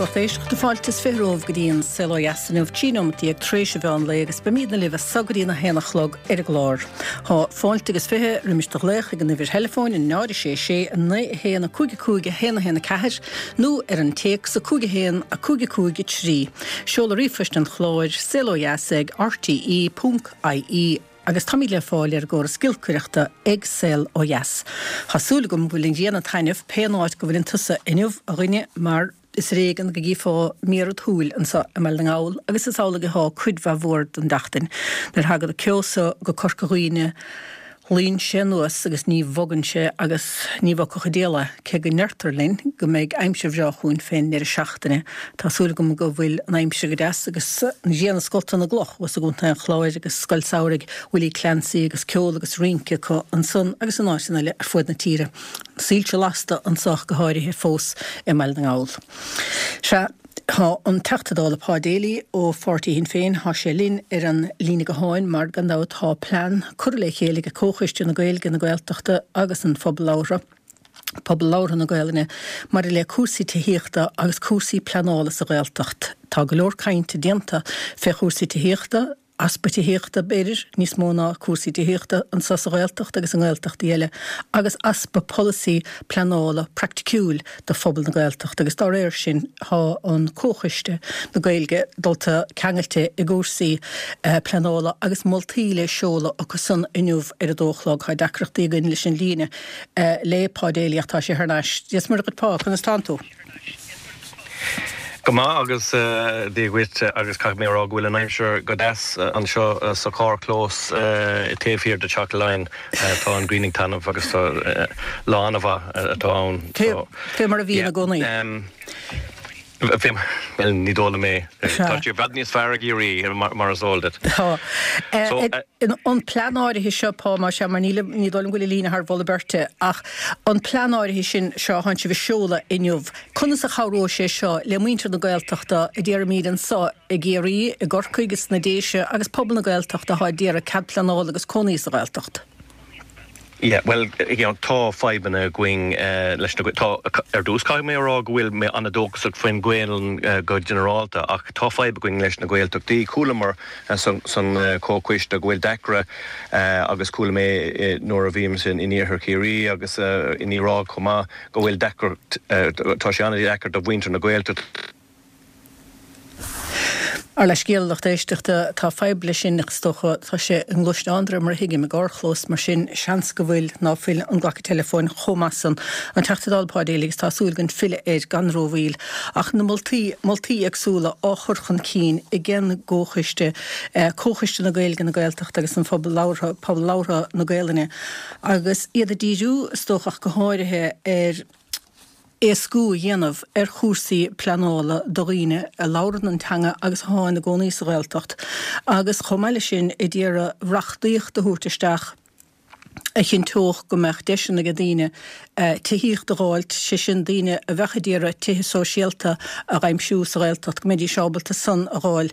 lucht éisteachta, fáilte is 20 romhaibh go dtí an Saol Ó Dheas inniu, 13 nóimeat tar éis an mheán lae agus beimidne libh as so go dtí an 1 a chlog ar an gclár. Tá fáilte agus 20 roimis do ghlaoch ag an uimhir theileafóin 0 6 6 9 1 5 5 1 1 4 nó ar an téacs 5 1 5 5 3. Seoladh ríomhphoist an chláir, saolodheas ag rte.ie. Agus táimid le fáil ar an gcóras giolcaireachta ag Saol Ó Dheas. Tá súil agam go bhfuil an ghrian ag taitneamh pé an áit go bhfuileann tusa inniu, a dhuine, mar is ar éigean go gcífeá méar id shúil anseo i mBaile na nGall agus is amhlaidh athá cuid mhaith mhór den tseachtain. Nuair a thagann an ceo so go Corca Dhuibhne luíonn sé anuas agus ní bhogann sé agus ní bhogfadh an diabhal é, cé go ndeirtear linn go mbeidh aimsir bhreá chugainn fén ndeireadh seachtaine. Tá súil agam go bhfuil an aimsir go deas agus an ghrian ag scoltadh na gcloch thuas i gContae an Chláir agus Scoil Samhraidh Willie Clancy agus ceol agus rince acu ansan agus in áiteanna eile ar fuaid na tíre. Soilse lasta anso ach go háirithe fós i mBaile na nGall. Sea, tá an Teachta Dála Pa Daly ó pháirtí Shinn Féin, tá sé linn ar an líne gutháin mar gan dabht tá plean curtha le chéile ag Comhchoiste na Gaeilge, na Gaeltachta agus an Phobal Labhartha, Pobal Labhartha na Gaelainne, maidir le cúrsaí tithíochta agus cúrsaí pleanála sa Ghaeltacht. Tá go leor cainte déanta fé chúrsaí tithíochta, easpa tithíochta, b'fhéidir, níos mó ná cúrsaí tithíochta, anseo sa Ghaeltacht agus i nGaeltachtaí eile, agus easpa polasaí pleanála praiticiúil do phobal na Gaeltachta agus dá réir sin tá an Comhchoiste na Gaeilge dulta ceangailte i gcúrsaí pleanála agus moltaí le seoladh acu san inniu ar a dó a chlog. Tá deacrachtaí againn leis an líne le Pa Daly ach tá sé thar n-ais. Dia is Muire dhuit Pa, conas tánn tú? Go maith agus Dia dhuit agus caithfidh mé a rá go bhfuil an aimsir go deas anseo sa charrchlós taobh thiar de Teach Laighean. Tá an ghrian ag taitneamh agus tá lá an-mhaith atá ann. Fé mar a bhíonn i gcónaí. Bhuel, ní dóigh liom é. Tá sé i bhfad níos fearr i gCiarraí, mar is eol duit. Tá. An plean áirithe seo, Pa, más ea, mar ní dóigh liom go bhfuil an líne thar mholadh beirte, ach an plean áirithe sin seo a thánn sibh a seoladh inniu, conas a chabhróidh sé seo le muintir na Gaeltachta a déarfaimíd anso i gCiarraí, i gCorcaigh, sna Déise agus pobal na Gaeltachta atá ag iarraidh cead pleanála agus cónaí sa Ghaeltacht? Yeah, bhuel, you know, tá fadhbanna againn leis na, tá, ar dtús caithfidh mé a rá go bhfuil mé an-dóchasach faoin Ghaelainn go ginearálta ach tá fadhb againn leis na Gaeltachtaí. Chualamar san comhchoiste go bhfuil deacra agus chuala mé nuair a bhíomsa in iarthar Chiarraí agus in Uíbh Ráthach chomh maith go bhfuil deacracht, tá sé an-deacair do mhuintir na Gaeltachta. Ár leithscéal, a lucht éisteachta, tá fadhb leis sin ach is dócha, tá sé i ngluaisteán de réir mar a thuigim, i gcarrchlós, mar sin seans go bhfuil, ná fuil an glacadh teileafóin chomh maith san. An Teachta Dála Pa Daly agus tá súil againn filleadh air gan rómhoill. Ach na moltaí, moltaí éagsúla á chur chun cinn ag an gComhchoiste, Comhchoiste na Gaeilge, na Gaeltachta agus an Phobal Labhartha, Pobal Labhartha na Gaelainne, agus iad ag díriú, is dócha ach go háirithe, ar. éascú a dhéanamh ar chúrsaí pleanála do dhaoine a labhrann an teanga agus athá ina gcónaí sa Ghaeltacht agus chomh maith leis sin ag iarraidh reachtaíocht a thabhairt isteach a chinnteodh go mbeadh deiseanna ag daoine tithíocht a dh'fháilt, sé sin daoine a bheadh ag iarraidh tithe sóisialta a dh'aimsiú sa Ghaeltacht go mbeidís ábalta san a dh'fháil.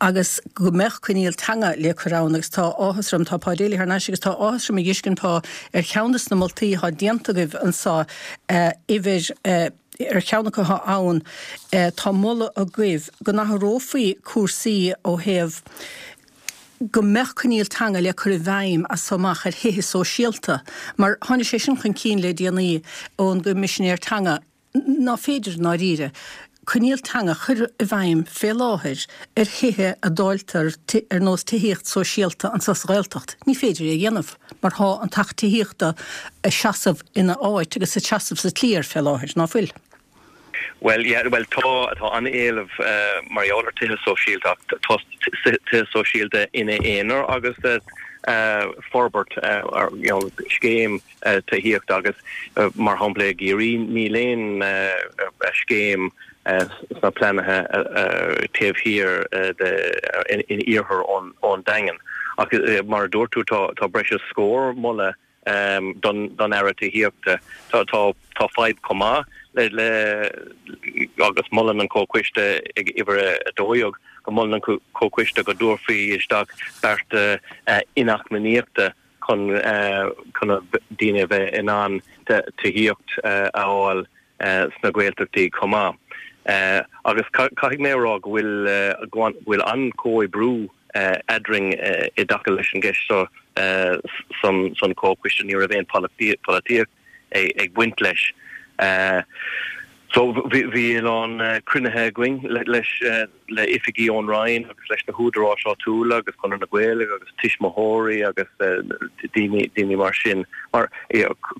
agus go mbeadh coinníoll teanga le cur ann agus tá áthas orm, tá Pa Daly thar n-ais agus tá áthas orm a dh'fheiscint Pa ar cheann des na moltaí athá déanta agaibh anso, uimhir, ar cheann acu athá ann, tá moladh agaibh go n-athrófaí cúrsaí ó thaobh go mbeadh coinníoll teanga le cur i bhfeidhm as so amach ar thithe sóisialta mar tháinig sé sin chun cinn le déanaí ón gCoimisinéir Teanga. ná féidir, i ndáiríre, coinníoll teanga a chur i bhfeidhm fé láthair ar thithe a dáiltear ar nós tithíocht sóisialta anso sa Ghaeltacht. Ní féidir é a dhéanamh mar thá an tAcht Tithíochta ag seasamh ina áit agus ag seasamh sa tslí air fé láthair, ná fuil? Bhuel, yeah, bhuel tá, tá an-éileamh mar gheall ar tithe sóisialta ach tá tithe sóisialta ina aonar agus forbairt, you know, scéim tithíochta agus, mar shampla, i gCiarraí níl aon scéim sna pleananna taobh thiar de in iarthar ón Daingean. Ach mar a dúirt tú, tá breis is scór moladh don Aire Tithíochta. Tá fadhb chomh maith le agus molann an Comhchoiste ag uimhir 12 go molann an Comhchoiste go dtabharfaí isteach bearta inacmhainneachta chun chun daoine a bheith in ann tithíocht a fháil sna Gaeltachtaí chomh maith. Agus caithfidh mé a rá go bhfuil go bhfuil an-chomhoibriú eadrainn i dtaca leis an gceist seo san comhchoiste, ní raibh aon pholaitíocht ag baint leis. So bhí a lán cruinnithe againn leis le oifigí ón Roinn agus leis na húdaráis áitiúla agus Conradh na Gaeilge agus tuismitheoirí agus daoine daoine mar sin mar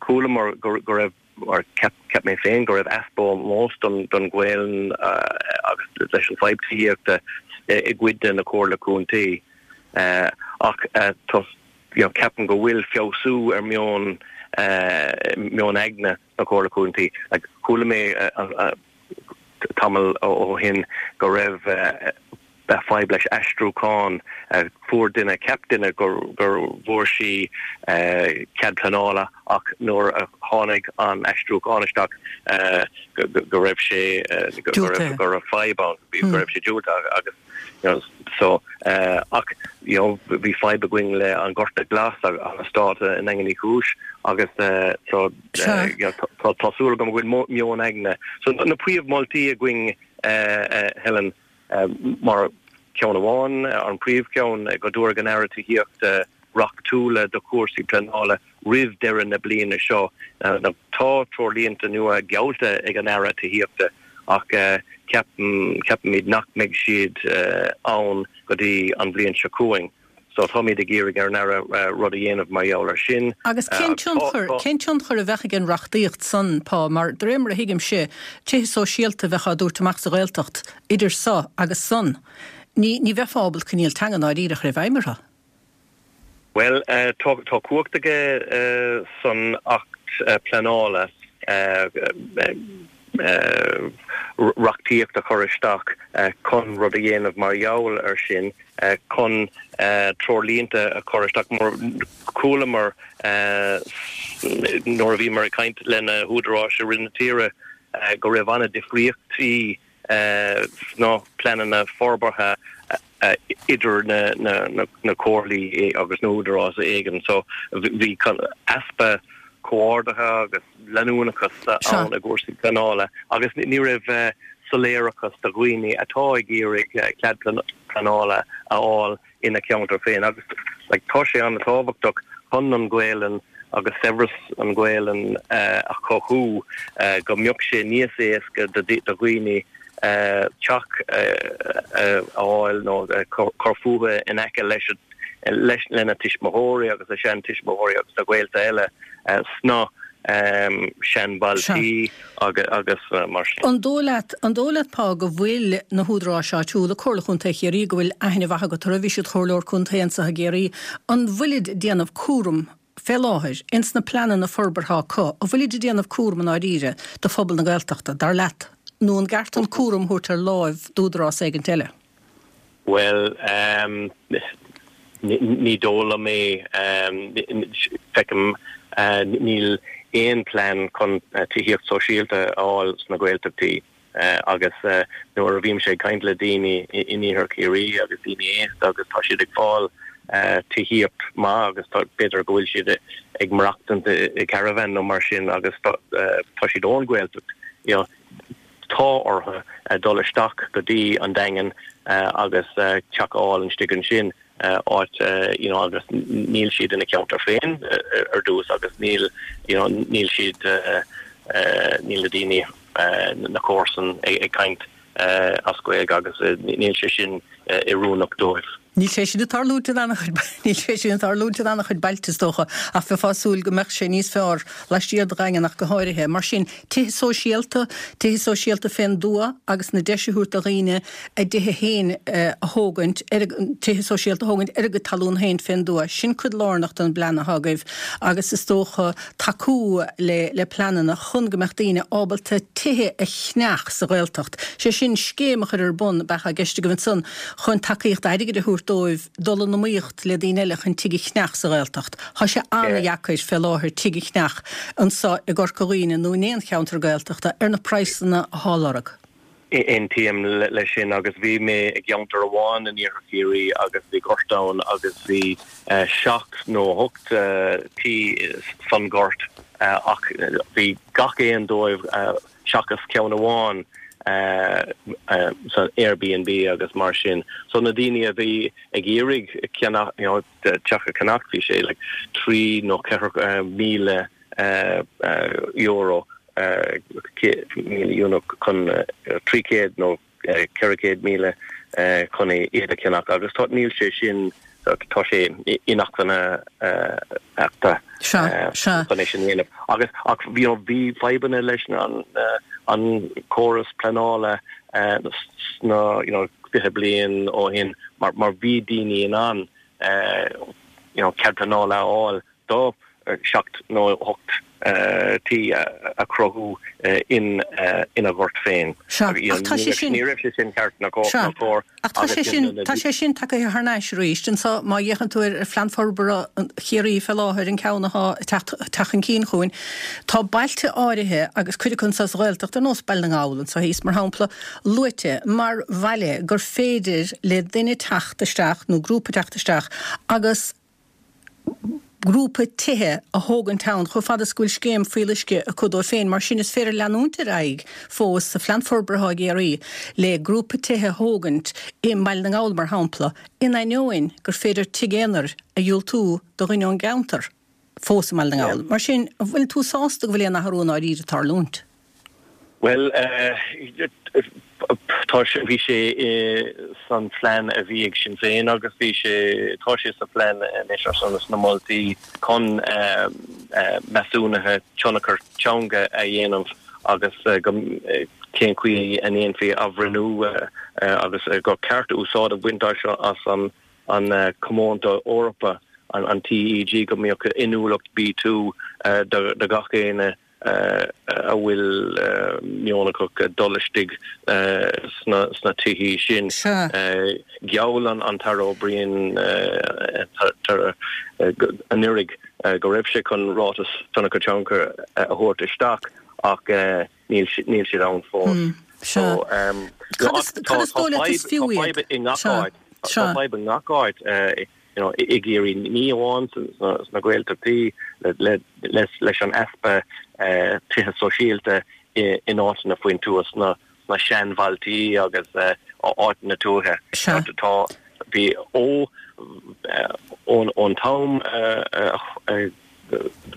chualamar go raibh mar cheap cheap mé féin go raibh easpa ómóis don don Ghaelainn agus leis an fadhb tithíochta i gcuid de na comhairle contae ach tá you know ceapaim go bhfuil feabhsú ar meon meon aigne sna comhairle contae. Like chuala mé tamall ó shin go raibh fadhb leis aistriúchán. Fuair duine, cheap duine gur bhfuair sí cead pleanála ach nuair a tháinig an aistriúchán isteach go raibh sé go raibh fadhb ann, go raibh sé diúltaithe agus you know so ach you know bhí fadhb againn le an Gorta Glas an eastát i nDaingean Uí Chúis agus so you know tá súil agam go bhfuil meon aigne. So na príomh-mholtaí againn Helen mar ceann amháin, an príomhcheann, go dtabharfaidh an Aire Tithíochta reachtúla do chúrsaí pleanála roimh deireadh na bliana seo. Tá treoirlínte nua geallta ag an Aire Tithíochta ach ceapaimid nach mbeidh siad ann go dtí an bhliain seo chugainn. So táimid ag iarraidh ar an Aire rud a dhéanamh mar gheall air sin. Agus cén tionchar, cén tionchar a bheadh ag an reachtaíocht san, Pa, mar de réir mar a thuigimse, tithe sóisialta a bheadh á dtabhairt amach sa Ghaeltacht idir so agus san. Ní, ní bheifeá ábalta coinníoll teanga ndáiríre a chur i bhfeidhm orthu. Bhuel, tá cumhacht aige san Acht Pleanála reachtaíocht a chur isteach chun rud a dhéanamh mar gheall air sin, chun treoirlínte a chur isteach. Mar chualamar nuair a bhíomar ag caint le na húdaráis i rith na tíre go raibh an-difríochtaí sna pleananna forbartha idir na comhairlí agus na húdaráis éigin. So bhí easpa comhordaithe agus leanúnachas ann i gcúrsaí pleanála agus ní raibh soiléireachas do dhaoine atá ag iarraidh cead pleanála a fháil ina cheantar féin agus like tá sé an-tábhachtach chun an Ghaelainn agus saibhreas an Ghaelainn a chothú go mbeadh sé níos éasca do dhaoine teach a fháil nó cur fúthu in aice leis leis lena tuismitheoirí agus a seantuismitheoirí agus a ghaolta eile sna seanbhailtí agus mar sin. An dóigh leat, an dóigh leat, Pa, go bhfuil na húdaráis áitiúla, Comhairle Chontae Chiarraí, go bhfuil aithne mhaith agat orthu, bhí siad Comhairleoir Contae anseo i gCiarraí, an bhfuilid ag déanamh cúram fé láthair ins na pleananna forbartha acu, an bhfuilid ag déanamh cúram i ndáiríre do phobal na Gaeltachta, dar leat, nó an gceart an cúram a thabhairt ar láimh d'údarás éigint eile? Bhuel, ní dóigh liom é. Feicim, níl aon plean chun tithíocht sóisialta a fháil sna Gaeltachtaí agus nuair a bhímse ag caint le daoine in Iarthar Chiarraí agus daoine aosta agus tá siad ag fáil tithíocht maith agus b'fhéidir go bhfuil siad ag maireachtaint i caravan nó mar sin agus tá siad ón Ghaeltacht, you know. tá orthu dul isteach go dtí an Daingean agus teach a fháil istigh ansin, áit you know agus níl siad ina ceantar féin ar dtús agus níl you know níl siad níl na daoine na comharsain ag caint as Gaeilge agus níl sé sin oiriúnach dóibh. Níl sé sin ag tarlúint in an-chuid, níl sé sin ag tarlúint in an-chuid bailte is dócha, ach bheifeá ag súil go mbeadh sé níos fearr laistiar de Dhaingean ach go háirithe. Mar sin, tithe sóisialta, tithe sóisialta fén dtuath agus na deis a thabhairt do dhaoine a dtithe féin a thógaint, ar a, tithe sóisialta a thógaint ar a gcuid talún féin fén dtuath, sin cuid lárnach den bplean atá agaibh agus is dócha tacú le, le pleananna chun go mbeadh daoine ábalta tithe a cheannach sa Ghaeltacht. Sé sin, scéim a chur ar bun, ab ea atá i gceist agaibh ansan, chun tacaíocht airgid a thabhairt dóibh dul in iomaíocht le daoine eile chun tigh a cheannach sa Ghaeltacht. Tá sé an-dheacair fé láthair tigh a cheannach anso i gCorca Dhuibhne nó in aon cheantar Gaeltachta ar na praghsanna athá á lorg. Aontaím leis sin agus bhí mé i gceantar amháin in Iarthar Chiarraí agus bhí gort ann agus bhí seacht nó hocht tí san gort ach bhí gach aon dóibh seachas ceann amháin. San Airbnb agus mar sin. So na daoine a bhí ag iarraidh ceannach, you know, teach a cheannach, bhí sé like 3 nó 4,000 euro, 1,000 euro chun 300 nó 400,000 chun iad a cheannach agus tá, níl sé sin, tá sé inacmhainne chun é sin a dhéanamh. Agus, ach, you know, bhí fadhbanna leis an, an córas pleanála sna, you know, 20 bliain ó shin mar, mar bhí daoine in ann, you know, cead pleanála a fháil do sheacht nó ocht tí a chruthú ina ngort féin. Sea, ach tá sé sin. Ní raibh sé sin ceart ná cóir. Ach tá sé sin, tá sé sin tagaithe thar n-ais arís. Anso, má fhéachann tú ar Phlean Forbartha Chiarraí fé láthair, an ceann atá ag teacht, teacht chun cinn chugainn, tá bailte áirithe, agus cuid acu anso sa Ghaeltacht, ar nós Baile na nGall anso thíos, mar shampla, luaite mar bhaile gur féidir le duine teacht isteach, nó grúpa teacht isteach, agus grúpa tithe a thógaint ann chomh fada is go bhfuil scéim fuíolluisce acu dóibh féin. Mar sin, is féidir leanúint ar aghaidh fós sa phlean forbartha atá i gCiarraí le grúpa tithe a thógaint i mBaile na nGall, mar shampla, in ainneoin gur féidir tigh aonair a dhiúltú do dhuine ón gceantar fós i mBaile na nGall. Mar sin, an bhfuil tú sásta go bhfuil aon athrú i ndáiríre ag tarlúint? Bhuel, tá sé, bhí sé san phlean a bhí ag Sinn Féin agus bhí sé, tá sé sa phlean anois ar son sna moltaí chun measúnuithe tionchar teanga a dhéanamh agus go cén chaoi a ndéanfaí athbhreithniú agus gur ceart úsáid a bhaint as an an Comónta Eorpa, an TEG, go mbeadh inniúlacht B2 do gach éinne a bhfuil meon acu dul istigh sna tithí sin. Gheall an tAire O'Brien anuraidh go raibh sé chun ráiteas tionchar teanga a thabhairt isteach ach níl siad ann fós. Cad is dóigh leat is fiú iad? Tá fadhb i ngach áit. you know, i gCiarraí, ní amháin sna Gaeltachtaí leis an easpa tithe sóisialta in áiteanna faoin tuath, sna seanbhailtí agus áiteanna tuaithe. Tá, bhí ó, ón t-am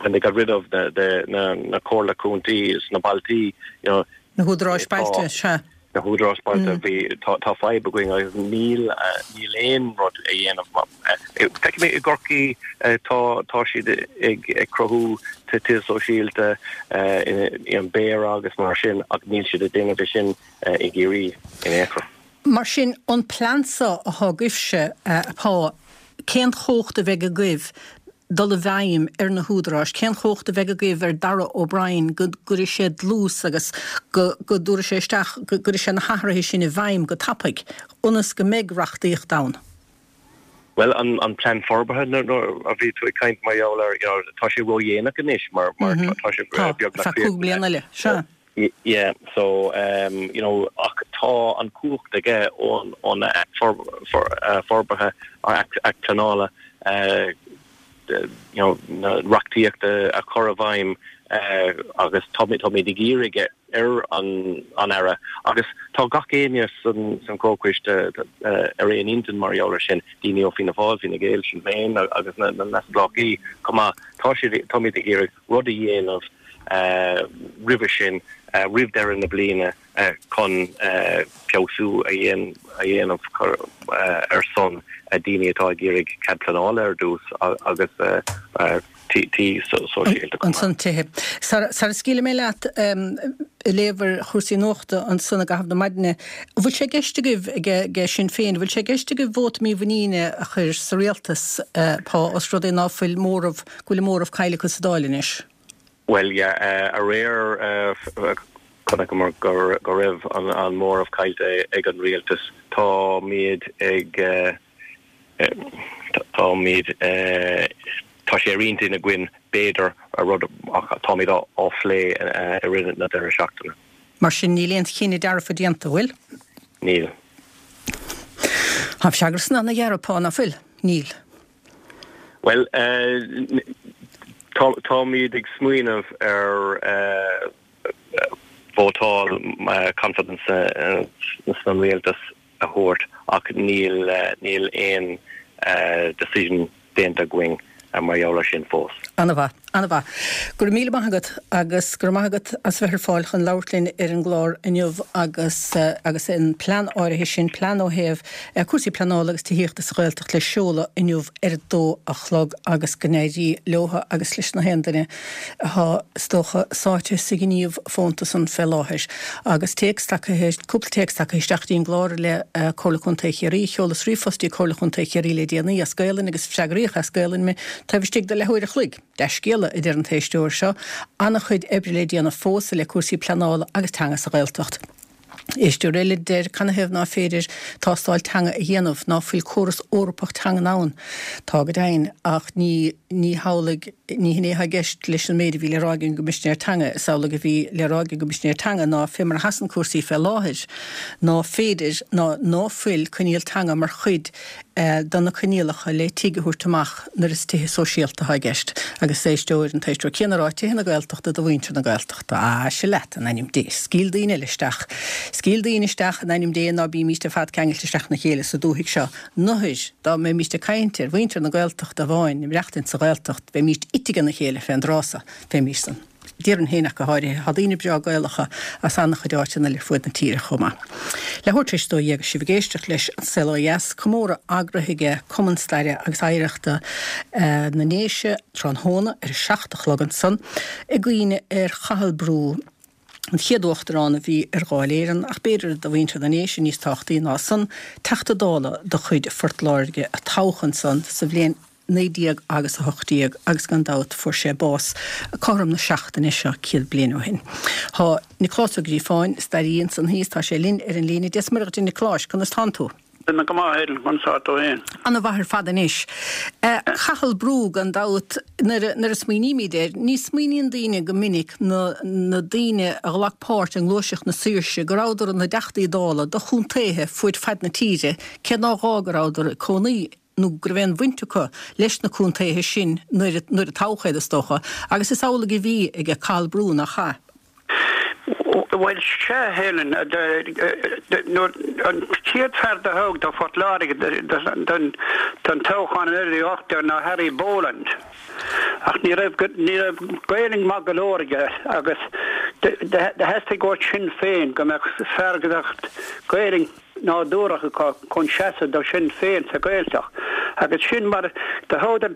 when they got rid of the na comhairle contae sna bailtí, you know, Na húdaráis bailte, sea. Na húdaráis bailte, bhí, tá, tá fadhb againn agus níl, níl aon rud a dhéanamh. Feicim i gCorcaigh, tá, tá siad ag, ag cruthú tithe sóisialta i an Béarra agus mar sin ach níl siad ag déanamh é sin i gCiarraí in aon chor. Mar sin, an plean seo atá agaibhse, a Pá, cén chumhacht a bheidh agaibh dul i bhfeidhm ar na húdaráis? Cén chumhacht a bheidh agaibh ar Darragh O'Brien go gcuirfidh sé dlús agus go go dtabharfaidh sé isteach, go gcuirfidh sé na hathruithe sin i bhfeidhm go tapaidh, ionas go mbeidh reachtaíocht ann? Bhuel, an an plean forbartha nuair a bhí tú ag caint mar gheall air, you know, tá sé ródhéanach anois mar mar tá sé beagnach Tá, 5 bliana eile, sea. Yeah, so, you know, ach tá an cumhacht aige ón ón Act Forbartha, Act Pleanála, you know, na reachtaíochta a chur i bhfeidhm agus táimid táimid ag iarraidh ar an an Aire agus tá gach éinne san san comhchoiste ar aon intinn mar gheall ar sin, daoine ó Fianna Fáil, Fine Gael, Sinn Féin agus na na neamhspleáchaí chomh maith. Tá siad, táimid ag iarraidh rud a dhéanamh roimhe sin, roimh deireadh na bliana chun feabhsú a dhéanamh ar son daoine atá ag iarraidh cead pleanála ar dtús agus tí sóisialta chomh maith. Ansan tithe. Sara scaoilfidh mé leat, ag léamh ar chúrsaí nuachta ansan i gcaitheamh na maidine, an bhfuil sé i gceist agaibh ag Sinn Féin, an bhfuil sé i gceist agaibh vóta mímhuiníne a chur sa rialtas, Pá, os rud é ná fuil móramh go bhfuil an móramh caillte acu sa Dáil anois. Bhuel, yeah, aréir chonaiceamar go raibh an móramh caillte ag an rialtas. Táimid ag, táimid, tá sé ar intinn againn, b'fhéidir, rud ach táimid á phlé i rith na deireadh seachtaine. Mar sin, níl aon chinneadh dearfa déanta, an bhfuil? Níl. Tá an freagra san ana-ghearr, a Pá, ná fuil? Níl. Bhuel, táimid ag smaoineamh ar. Vótáil confidence san rialtas a thabhairt ach níl níl aon decision déanta againn mar gheall ar sin fós. Ana-mhaith. Ana-mhaith. Go raibh míle maith agat agus go raibh maith agat as bheith ar fáil chun labhairt linn ar an gclár inniu agus agus an plean áirithe sin, plean ó thaobh cúrsaí pleanála agus tithíochta sa Ghaeltacht le seoladh inniu ar a dó a chlog agus go n-éirí leotha agus leis na haon duine atá, is dócha, sáite sa ghníomh fónta san fé láthair. Agus téacs tagtha, cúpla téacs tagtha isteach dtí'n gclár i leith Comhairle Contae Chiarraí. Sheolas ríomhphost dtí Comhairle Chontae Chiarraí le déanaí as Gaelainn agus freagraíodh as Gaelainn mé taobh istigh de leathuair a chloig. Dea-scéala, a deir an t-éisteoir seo. An-chuid oibre le déanamh fós i leith cúrsaí pleanála agus teanga sa Ghaeltacht. Éisteoir eile a deir canathaobh ná féidir tástáil teanga a dhéanamh, ná fuil córas Eorpach teangan ann? Tá go deimhin, ach ní ní hamhlaidh, ní hin é atá i gceist leis an méid a bhí le rá ag an gCoimisinéir Teanga. Is amhlaidh a bhí le rá ag an gCoimisinéir Teanga ná fé mar a sheasann cúrsaí fé láthair, ná féidir ná ná fuil coinníoll teanga mar chuid de na coinníollacha le tigh a thabhairt amach nuair is tithe sóisialta atá i gceist. Agus éisteoir, an t-éisteoir céanna ag rá, tithe na Gaeltachta do mhuintir na Gaeltachta. Ah, sea leat, in ainm Dé. Scaoil daoine eile isteach. Scaoil daoine isteach, in ainm Dé, ná bímíst ar fad ceangailte isteach ina chéile sa dúthaigh seo. Nuair, dá mbeimíst ag caint ar mhuintir na Gaeltachta amháin, ag maireachtaint sa Ghaeltacht, bheimíst ite aige na chéile fén dtráth so. Bheimíst san. Déarfainn féin ach go háirithe. Tá daoine breá Gaelacha as an-chuid áiteanna eile ar fuaid na tíre chomh maith. Leathuair tar éis a 12 agus sibh ag éisteacht leis An Saol Ó Dheas, comóradh eagraithe aige Cumann Staire agus Oidhreachta na nDéise tráthnóna ar a 7 a chlog ansan i gcuimhne ar Chathal Brú, an chéad Uachtarán a bhí ar Dháil Éireann ach b'fhéidir do mhuintir na nDéise níos tábhachtaí ná san, Teachta Dála de chuid Phort Láirge a toghadh ansan sa bhliain 19 agus 18 agus gan dabht fuair sé bás cothrom na seachtaine seo 100 bliain ó shin. Tá Nioclás Ó Gríofáin, staraí ansan thíos, tá sé linn ar an líne. Dia 's Muire dhuit a Niocláis, conas tánn tú? Tá mé go maith, Helen, conas tá tú féin? Ana mhaith ar fad anois. Cathal Brú, gan dabht, nuair a, nuair a smaoinímid air, ní smaoiníonn daoine go minic na, na daoine a ghlac páirt i ngluaiseacht na saoirse, go rabhadar ina dTeachtaí Dála do chontaetha fuaid faid na tíre, cé nár ghá go rabhadar ag cónaí nó go raibh aon bhaint acu leis na contaetha sin nuair a nuair a toghadh iad, is dócha, agus is amhlaidh a bhí aige Cathal Brú, nach ea? Bhuel, sea, a Helen, nuair an chéad fear do toghadh do Phort Láirge don toghchán i 1918 ná Harry Boland, ach ní raibh ní raibh Gaelainn maith go leor aige agus do theastaigh ó Shinn Féin go mbeadh fear go mbeadh Gaelainn nádúrach acu chun seasamh do Shinn Féin sa Ghaeltacht agus sin mar do thoghadar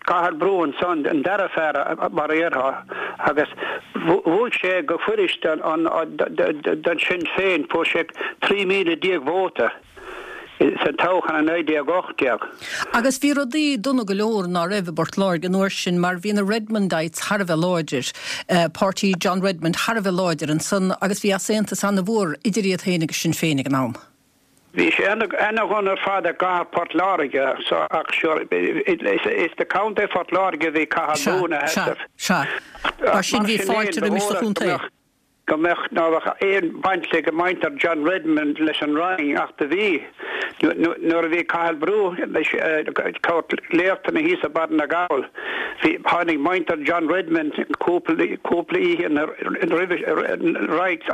Cathal Brú ansan, an dara fear mar a dhéarfá, agus bhuaigh sé go fuirist don Sinn Féin, fuair sé 13,000 vóta sa toghchán i 1918. Agus bhí rudaí dona go leor ná raibh i bPort Láirge an uair sin mar bhí na Redmondites thar a bheith láidir, páirtí John Redmond thar a bheith láidir ansan agus bhí easaontas ana-mhór idir iad féin agus Sinn Féin ag an am. Bhí sé ana-dhona ar fad i gcathair Port Láirge ach sure is do Contae Phort Láirge a bhí Cathal Brú ina sheasamh. Sea, sea. Mar sin bhí fáilte roimis sa chontae. go mbeadh, ná beadh aon bhaint ag muintir John Redmond leis an Roinn ach do bhí. Nuair a bhí Cathal Brú ag tabhairt léachtanna thíos i Baile na nGall, bhí, tháinig muintir John Redmond cúpla, cúpla oíche roimhe,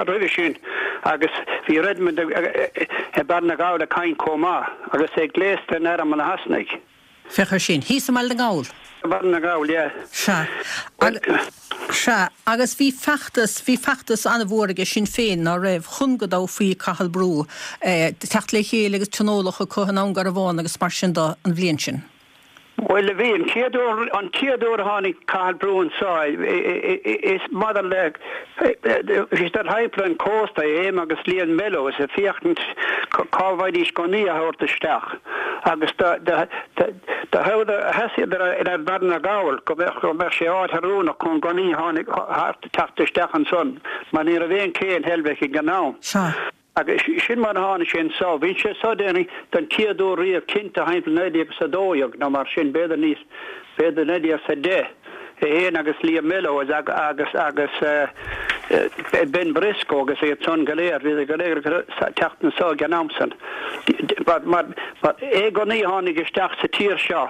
roimhe sin agus bhí Redmond i Baile na nGall ag caint chomh maith agus é gléasta in arm an Shasanaigh. Féach ar sin. Thíos i mBaile na nGall. I mBaile na nGall, yeah. Sea. Sea. Agus bhí feachtas, bhí feachtas an-mhór aige Sinn Féin, ná raibh, chun go dtoghfaí Cathal Brú, teacht le chéile agus tionóladh acu i nDún Garbhán agus mar sin de an bhliain sin. Bhuel, bhí. An chéad uair, an chéad uair a tháinig Cathal Brú anso, is maidir le, bhí siad thimpeall an chósta, é agus Liam Mellows, ag féachaint cá bhfaighidís gunnaí a thabhairt isteach. Agus do sheasaíodar ar Bhaile na nGall go mbeadh sé áit oiriúnach chun gunnaí tháinig thart teacht isteach ansan mar ní raibh aon ché in Heilbhic ag an am. Sea. Agus sin mar a tháinig sé anso. Bhí sé so déarfainn don chéad uair riamh cinnte thimpeall 1912 nó mar sin, b'fhéidir níos, b'fhéidir 1910. É féin agus Liam Mellows agus agus Ben Briscoe agus iad san go léir, bhíodar go léir ag teacht anso ag an am san. Mar mar aon gunnaí a tháinig isteach sa tír seo.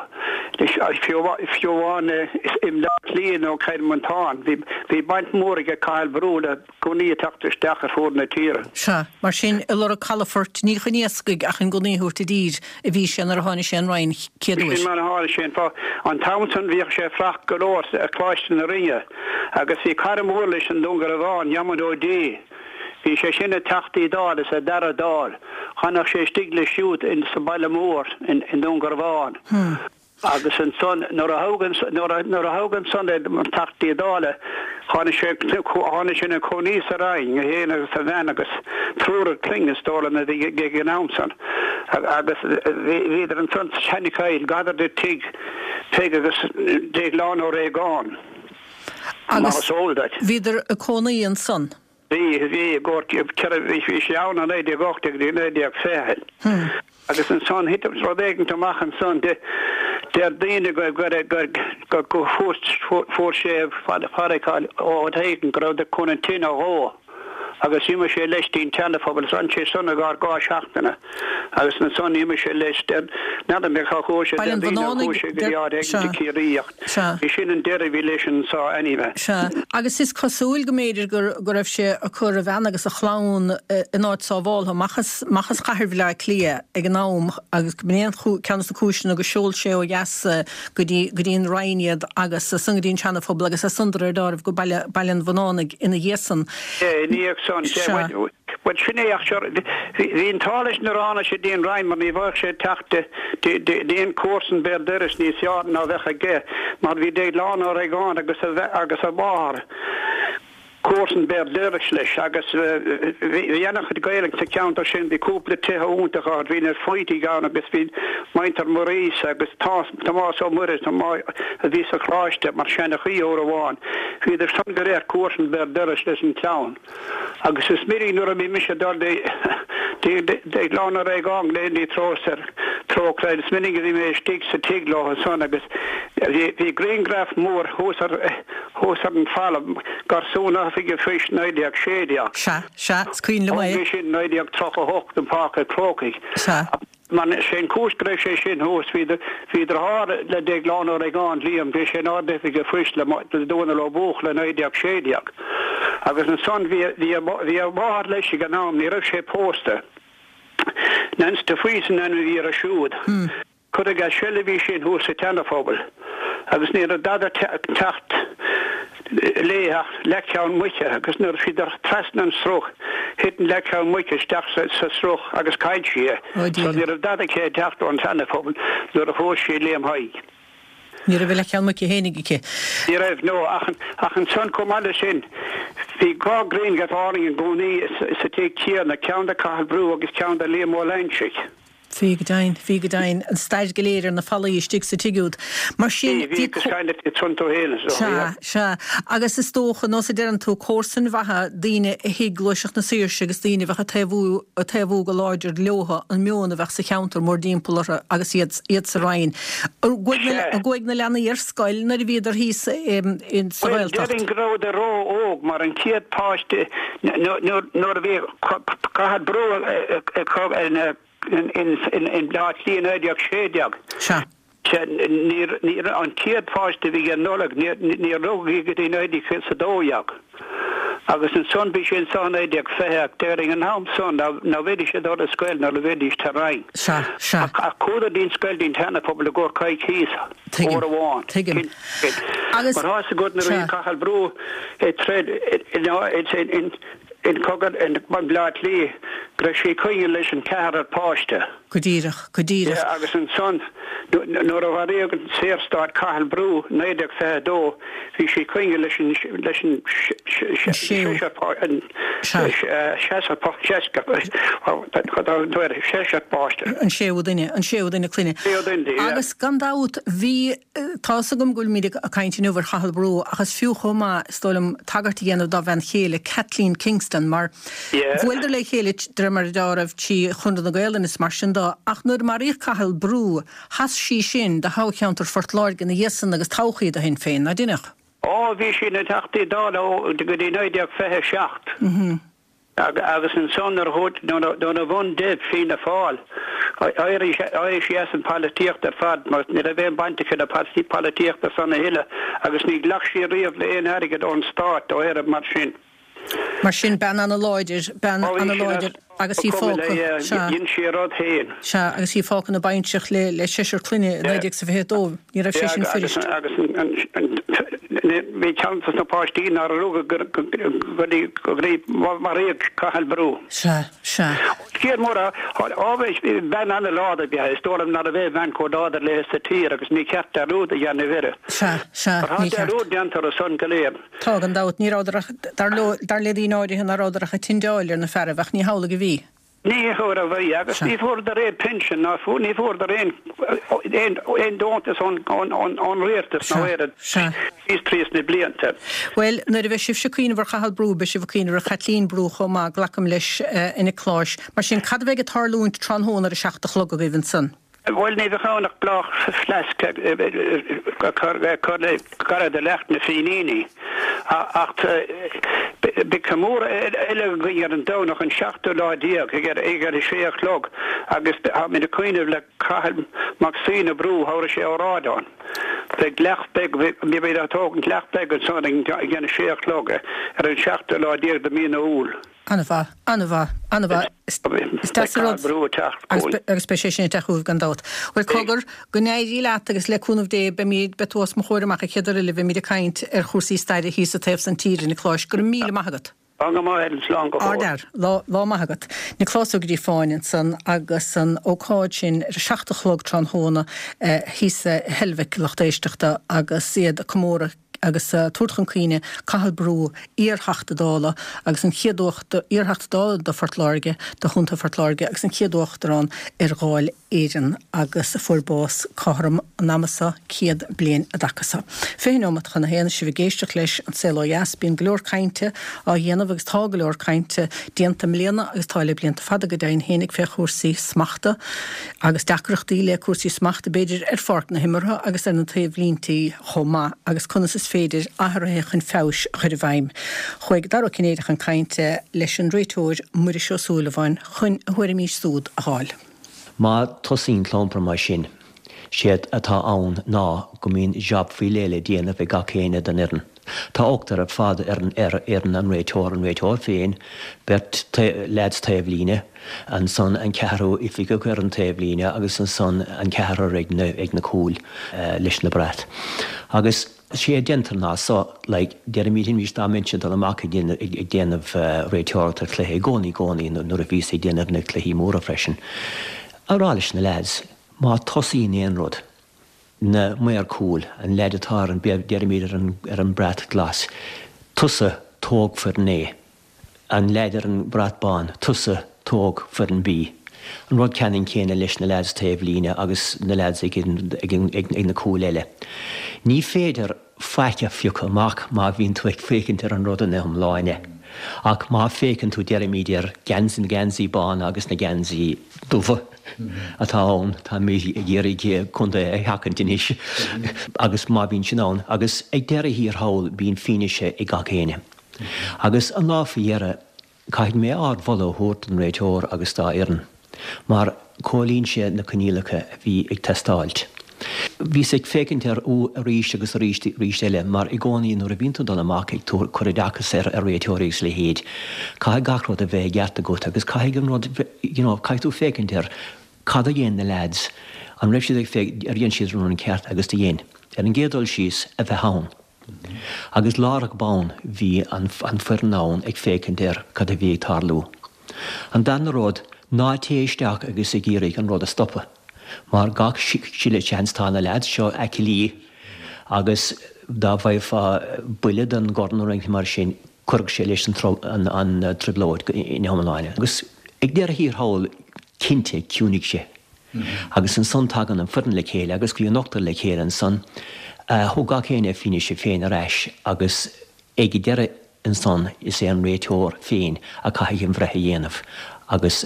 Fiú amháin i mBleá Cliath nó Cill Mhantáin, bhí baint mhór aige Cathal Brugha le gunnaí ag teacht isteach ar fuaid na tíre. Sea, mar sin, ag lorg calafoirt, ní chun iascaigh ach chun gunnaí a thabhairt i dtír a bhí sé nuair a tháinig sé an Rinn chéad uair. Sin mar a tharla sé. An t-am san bhíodh sé ag fuireach go leor ar Choláiste na Rinne agus bhí cara mór leis i nDún Garbhán, Diarmuid Ó Dé. Bhí sé sin ina Teachtaí Dála sa dara Dáil. Thagadh sé istigh leis siúd in sa baile mór in i nDún Garbhán. Agus ansan nuair a thoghadh nuair a nuair a thoghadh ansan é mar Teachtaí Dála tháinig sé tháinig sé ina chónaí sa Rinn, é féin agus a bhean agus triúr clainne is dóigh liom a bhí ag an am san. Agus bhí bhíodar ansan sa tSeanachoill gar do tigh Peig agus Déaglán Ó Réagáin. Mar is eol duit. Bhíodar ag cónaí ansan? Bhí, bhí, i gcomhair, ceithre, bhí, bhí sé ann i 1918 go dtí 1920. Agus ansan thit rud éigint amach ansan, de, deir daoine go, go, go, go, go fuair, fuair sé farraiceáil ó áit éigin go raibh de chun an tine a dhó agus d'imigh sé leis dtí'n tSeana-Phobal is fhan sé san i gcomhair dhá seachtaine agus ansan d'imigh sé leis, deir, n'fheadar mé cá chuaigh sé, deir daoine gur chuaigh sé go dtí áit éigin i Ciarraí ach. Sea. Bhí sin an deireadh a bhí leis anso anyway. Sea. Agus is cosúil go mb'fhéidir go go raibh sé ag cur a bhean agus a chlann in áit sábháltha, amach as amach as chathair Bhaile Átha Cliath ag an am agus go mb'in é an ceann de na cúiseanna gur sheol sé ó dheas go dtí go dtí an Rinn iad agus as san go dtí an Seana-Phobal agus as san de réir dealraimh go Baile Baile an Bhunánaigh ina dhiaidh san. Ina dhiaidh san. Sea. Bhuel, sin é ach sure, bhí an t-ádh leis nuair a tháinig sé dtí an Rinn mar ní bheadh sé ag teacht d'aon chomharsan béal dorais níos fearr ná bheadh aige mar bhí Déaglán Ó Réagáin agus a agus a mháthair comharsan béal dorais leis agus bhí ana-chuid Gaeilge sa cheantar sin, bhí cúpla tithe iontacha ann, bhí na Faoitigh ann agus bhí muintir Maurice agus Tomás Ó Muiris a bhí sa Choláiste mar seanchaí uair amháin, bhíodar san go léir comharsan béal dorais leis an chlann. Agus is minic nuair a bhí mise ag dul dtí Déaglán Ó Réagáin go dtí Trócaire, is minic a bhí mé istigh sa tigh leo ansan agus bhí grianghraf mór thuas ar thuas ar an falla, Garsún Oifige Phoist 1916. Sea, sea, is cuimhin liom é. Thóg é sin 1938 i bPáirc an Chrócaigh. Sea. Mar sé an chúis go raibh sé sin thuas, bhí bhí deartháir le Déaglán Ó Réagáin, Liam, bhí sé ina Ard-Oifigeach Phoist le Dónall Ó Buachalla i 1916. Agus ansan bhí bhí a bhí a mháthair leis ag an am, ní raibh sé pósta. Nance de Faoite an ainm a bhí uirthi siúd. Cuireadh as seilbh í sin thuas sa tSeana-Phobal agus ní raibh dada ag teacht léi ach leathcheann muice agus nuair a bhíodar trasna an sruth thit an leathcheann muice isteach sa sruth agus chaill sí é. So ní raibh dada aici ag teacht ón tSeana-Phobal nuair a phós sí Liam Thaidhg. Ní raibh a leathcheann muice fhéinig aici. Ní raibh, no, ach ach ansan chomh maith le sin bhí dhá ghrianghraf álainn i gcónaí sa tigh céanna, ceann de Cathal Brugha agus ceann de Liam Ó Loingsigh. Bhí go deimhin, bhí go deimhin, an stair go léir ar na fallaí istigh sa tigh úd. Mar sin, Bhí, bhí, agus kind of tiontú féin is dócha, Sea, yeah. sea. Agus is dócha, nós a deireann tú, comharsain mhaithe, daoine a thuig gluaiseacht na saoirse agus daoine a bheadh ag taobhú, ag taobhú go láidir leotha, an meon a bheadh sa cheantar mórdtimpeall orthu agus iad, iad sa Rinn. An gcuaigh na, Sea. an gcuaigh na leanaí ar scoil nuair a bhíodar thíos in, sa Bhuel, Ghaeltacht? déarfainn go rabhadar ró-óg mar an chéad pháiste, nuair, nuair a bhí, Cathal Brugha i mBleá Cliath 1916. Sea. Níor, an chéad pháiste a bhí aige Nollaig, níor rugadh í go dtí 1912. Agus ansan bhí sé anso i 1920 ach déarfainn an t-am san ná bheidís ag dul ar scoil nuair a bheidís sa Rinn. Sea, sea. Ach chuadar dtí'n scoil dtí'n tSeana-Phobal i gcomhair coicíos, Tuigim, uair amháin. tuigim. Agus, Mar tá 'fhios agat nuair a bhí sea. Cathal Brugha ag troid in, In cogadh i mBleá Cliath go raibh sí ag coinneáil leis an ceathrar páiste. Go díreach, go díreach. Yeah, agus ansan nuair a mharaíodh an Saorstát Cathal Brugha 1922 bhí sí ag coinneáil leis an leis an seisear an seisear seisear páiste. An séú duine, an séú duine clainne. Séú duine, yeah. Agus gan dabht bhí Tá 'fhios agam go bhfuilimid ag caint inniu ar Chathal Brugha ach is fiú chomh maith, is dóigh liom, tagairt a dhéanamh dá bhean chéile, Kathleen Kingston, mar bhuaileadar le chéile de réir mar a dealramh trí Chonradh na Gaelainne is mar sin de ach nuair a maraíodh Cathal Brugha, sheas sí sin do thoghcheantar Phort Láirge ina dhiaidh san agus toghadh í do Shinn Féin, ná deineadh? Ó, bhí sí ina Teachta Dála ó go dtí 1927. Agus ansan nuair a bhain di Fianna Fáil, d'éirigh sí as an pholaitíocht ar fad mar ní raibh aon baint aici le polaitíocht ansan a thuilleadh agus ní ghlac sí riamh le aon airgead ón stát ó aon rud mar sin. Mar sin, bean ana-láidir, bean ana-láidir agus í fágtha, sea. Dhein sí a rud féin. Sea, agus í fágtha ina baintreach le le seisear clainne i 1922, ní raibh sé sin fuirist. Agus bhí ceann dos na páistí nár rugadh go dtí go dtí maraíodh Cathal Brú. Sea, sea. Scéal mór é. Bean ana-láidir ab ea í. Is dóigh liom ná raibh aon bhean chomh láidir léi sa tír agus ní ceart dearúd a dhéanamh uirthi. Sea, sea, ní ceart. Tá dearúd déanta orthu san go léir. Tá, gan dabht. Ní rabhadar ach, dar leo, dar le daoine áirithe ná rabhadar ach ag tindeáil ar na fearaibh, ach ní hamhlaidh a bhí. Ní hamhlaidh a bhí, agus ní fuaireadar aon pinsean ná ní fuaireadar aon, aon, aon deontas ón, ón, ón, ón rialtas nó aon rud síos tríos na blianta. Bhuel, nuair a bheidh sibhse ag cuimhneamh ar Chathal Brú, beidh sibh ag cuimhneamh ar Chaitlín Brú chomh maith, glacaim leis, a Niocláis. Mar sin, cad a bheidh ag tarlúint tráthnóna ar a seacht a chlog agaibh ansan? Bhuel, ní bheadh ann ach bláthfhleasc a chur le gar do leacht na Fíníní. Ach beidh comóradh eile againn ar an Domhnach an seachtú lá déag ag a sé a chlog agus táimid ag cuimhneamh le Cathal Mac Suibhne Brú, thabharfaidh sé óráid ann. Beidh leacht beag, beimid ag tógaint leacht beag ansan ag a sé a chlog ar an seachtú lá déag de mí na Iúil. An-mhaith, an-mhaith, an-mhaith. Is deas an rud. Brú ag teacht chugainn. Agus beidh sé sin ag teacht chugaibh gan dabht. Bhuel, cogar, go n-éirí leat agus le cúnamh Dé beimid, beidh tú os mo chomhair amach an chéad uair eile a bheimid ag caint ar chúrsaí staire thíos sa taobh san tíre, a Niocláis. Go raibh míle maith agat. Tá go maith, Helen, slán go fóill. Ardfhear. Lá, lá maith agat. Nioclás Ó Gríofáin ansan agus an ócáid sin ar a seacht a chlog tráthnóna thíos i Heilbhic, lucht éisteachta, agus iad ag comóradh agus tabhairt chun cuimhne Cathal Brú, iar-Theachta Dála agus an chéad iar-Theachta Dála do Phort Láirge, do Chontae Phort Láirge agus an chéad Uachtarán ar Dháil Éireann agus a fuair bás cothrom an ama seo 100 bliain an dtaca seo. 20 neomat chun a haon, sibh ag éisteacht leis An Saol Ó Dheas. Bíonn go leor cainte á dhéanamh agus tá go leor cainte déanta i mbliana agus tá le blianta fada go deimhin fhéinig fé chúrsaí smachta agus deacrachtaí le cúrsaí smachta b'fhéidir ar pháirc na himeartha agus ar na taobhlíntí chomh maith agus conas is féidir athruithe chun feabhais a chur i bhfeidhm. Chuaigh Dara Ó Cinnéide chun cainte leis an réiteoir Muiris Ó Súilleabháin chun a thuairimí súd a fháil. Má tosaíonn clampar mar sin, séard atá ann ná go mbíonn jab faoi leith le déanamh ag gach éinne den fhoireann. Tá ochtar ar fad ar an ar fhoireann an réiteoir, an réiteoir féin, beirt leaids taobhlíne, ansan an ceathrú oifigeach ar an taobhlíne agus ansan an ceathrar ag na ag na cúil leis na brait. Agus sé a déantar ná so, like, deirimid anois dá mbeinnse ag dul amach ag déanamh ag déanamh réiteoireacht ar chluiche i gcónaí i gcónaí nuair a bhíos ag déanamh na cluichí móra freisin, a rá leis na leaids, má tosaíonn aon rud, na maor cúil, an leaid atá ar an, deirimid ar an, ar an brat glas, tusa tóg foireann A, an leaid ar an brat bán, tusa tóg foireann B. An rud ceannann céanna leis na leaids taobh líne agus na leaids ag an, ag an, ag na cúil eile. Ní féidir faic a phiocadh amach má bhíonn tú ag féachaint ar an rud ina iomláine. Ach má féachann tú, deirimid, ar geansaí, na geansaí bána agus na geansaí dubha atá ann, táimid ag iarraidh contae a sheachaint anois, agus má bhíonn sin ann, agus ag deireadh thiar thall bíonn fianaise ag gach éinne. Agus an lá faoi dheireadh, Caithfidh mé ardmholadh a thabhairt don réiteoir agus dá fhoireann, mar chomhlíon sé na coinníollacha a bhí ag teastáilt. Bhíos ag féachaint air arís agus arís arís eile, mar i gcónaí nuair a bhíonn tú ag dul amach ag cur oideachas ar réiteoirí agus a leithéid, caithfidh gach rud a bheith i gceart agat agus caithfidh an rud, you know, caithfidh tú féachaint ar cad a dhein na leaids, an raibh siad ag féachaint, ar dhein siad an rud ceart agus do dhein. Ar an gcéad dul síos, a bheith ann. Agus láithreach bonn bhí an foireann ann ag féachaint ar cad a bhí ag tarlú. An darna rud, ná téigh isteach agus ag iarraidh an rud a stopadh, mar gach uile sheans tá na leaids seo aclaí agus dá bhfaighfeá buille den gcorn nó rud mar sin, chuirfeadh sé leis an trioblóid ina hiomláine. Agus ag deireadh thiar thall, cinnte, chiúnaigh sé. Agus ansan tagann an foireann le chéile agus bhí an ochtar le chéile ansan. Thug gach éinne a fianaise féin ar ais agus ag deireadh ansan is é an réiteoir féin a caithfidh an bhreith a dhéanamh. Agus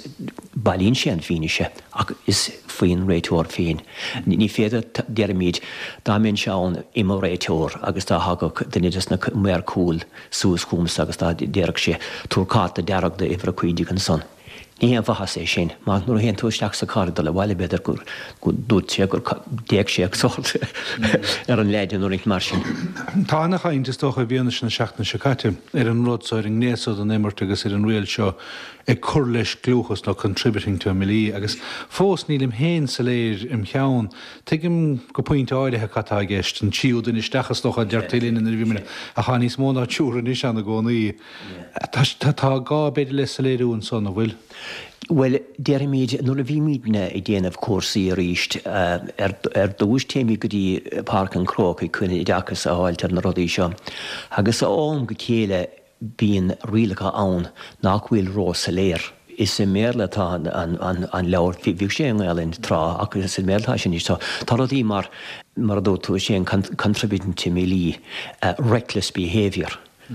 bailíonn sé an fianaise ach is faoin réiteoir féin. Ní féidir, deirimid, dá mbeinnse ann i mo réiteoir agus dá thagadh duine des na maoir cúil suas chugamsa agus dá déarfadh sé, tabhair cárta dearg do uimhir a 15 ansan. Ní haon mhaitheas é sin, mar nuair a théann tú isteach sa charr ag dul abhaile b'fhéidir gur dúirt sé gur d'fhéach sé sórt ar an leaid nó rud mar sin. Tá ana-chaint, is dócha, i bhfianaise na seachtaine seo caite, ar an rud so, ar an ngné so den imirt agus ar an riail seo ag cur leis gliúchas nó contributing to a melee agus fós nílim féin soiléir im cheann. Tuigim go pointe áirithe cad tá i gceist, an tríú duine isteach is dócha a deirtí linn nuair a bhí muid, ach tá níos mó ná triúr anois ann i gcónaí. Tá gá b'fhéidir le soiléiriú ansan, an bhfuil? Bhuel, déarfaimid, nuair a bhímidne ag déanamh cúrsaí arís, ar dtús téimid go dtí Páirc an Chrócaigh chun oideachas a fháilt ar na rudaí seo agus ó am go chéile bíonn rialacha ann nach bhfuil ró-soiléir. Is i mBéarla atá an leabhar, bhíodh sé i nGaelainn tráth ach is i mBéarla atá sé anois. Tá rudaí mar, mar a dúirt tú, is é an contributing to melee, reckless behaviour.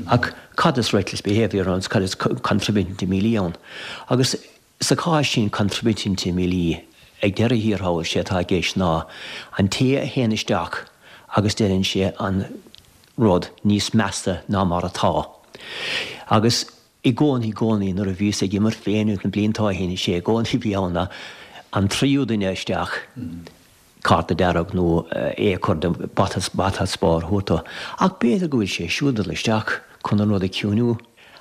Ach cad is reckless behaviour ann is cad is contributing to melee ann? Agus sa chás sin contributing to melee, ag deireadh thiar thall, sé atá i gceist ná an té a théann isteach agus déanann sé an rud níos measa ná mar atá. Agus i gcónaí, i gcónaí nuair a bhíos ag imirt féin na blianta ó shin, sé i gcónaí a bhí ann ná an tríú duine isteach, cárta dearg nó é a chur de bata bata spáir a thabhairt dó. Ach b'fhéidir go bhfuil sé siúd ag dul isteach chun an rud a chiúnú.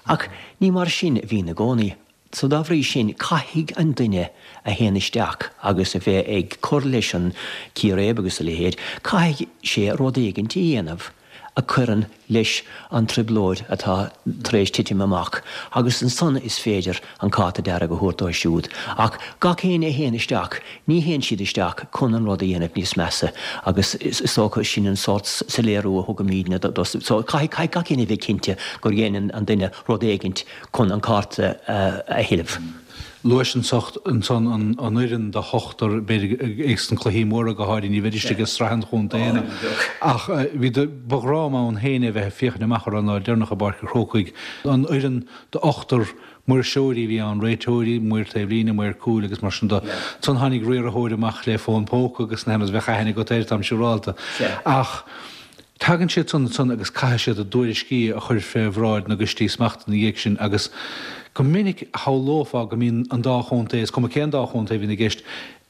Ach ní mar sin a bhíonn i gcónaí. So dá bhrí sin, caithfidh an duine a théann isteach agus a bheith ag cur leis an círéib agus a leithéid, caithfidh sé rud éigint a dhéanamh a chuireann leis an trioblóid atá tar éis titim amach agus ansan is féidir an cárta dearg a thabhairt dó siúd. Ach gach éinne a théann isteach, ní théann siad isteach chun an rud a dhéanamh níos measa agus is dócha sin an sórt soiléiriú a thugaimídne do so caithfidh gach éinne a bheith cinnte gur dhein an duine rud éigint chun an cárta a thuilleamh. Luais ansan an fhoireann de ochtar, b'fhéidir ag sna cluichí móra go háirithe, ní bheidís ag sraith an chontae ach bhí, ba ghrá liom ann féin é bheith ag féachaint amach orthu an lá deireanach i bPáirc an Chrócaigh. An fhoireann d'ochtar maoirseoirí a bhí ann, réiteoirí, maor taobh líne, maor cúil agus mar sin de. Ansan tháinig riarthóir amach le fón póca agus na rud, bheadh aithne agat air, táim siúrálta. Ach. Tagann siad san ansan agus caithfidh siad a dtuairiscí a chur fé bhráid na gcoistí smachta ina dhiaidh sin agus go minic shamhlófá go mbíonn an dá chontae, is cuma cén dá chontae a bhíonn i gceist,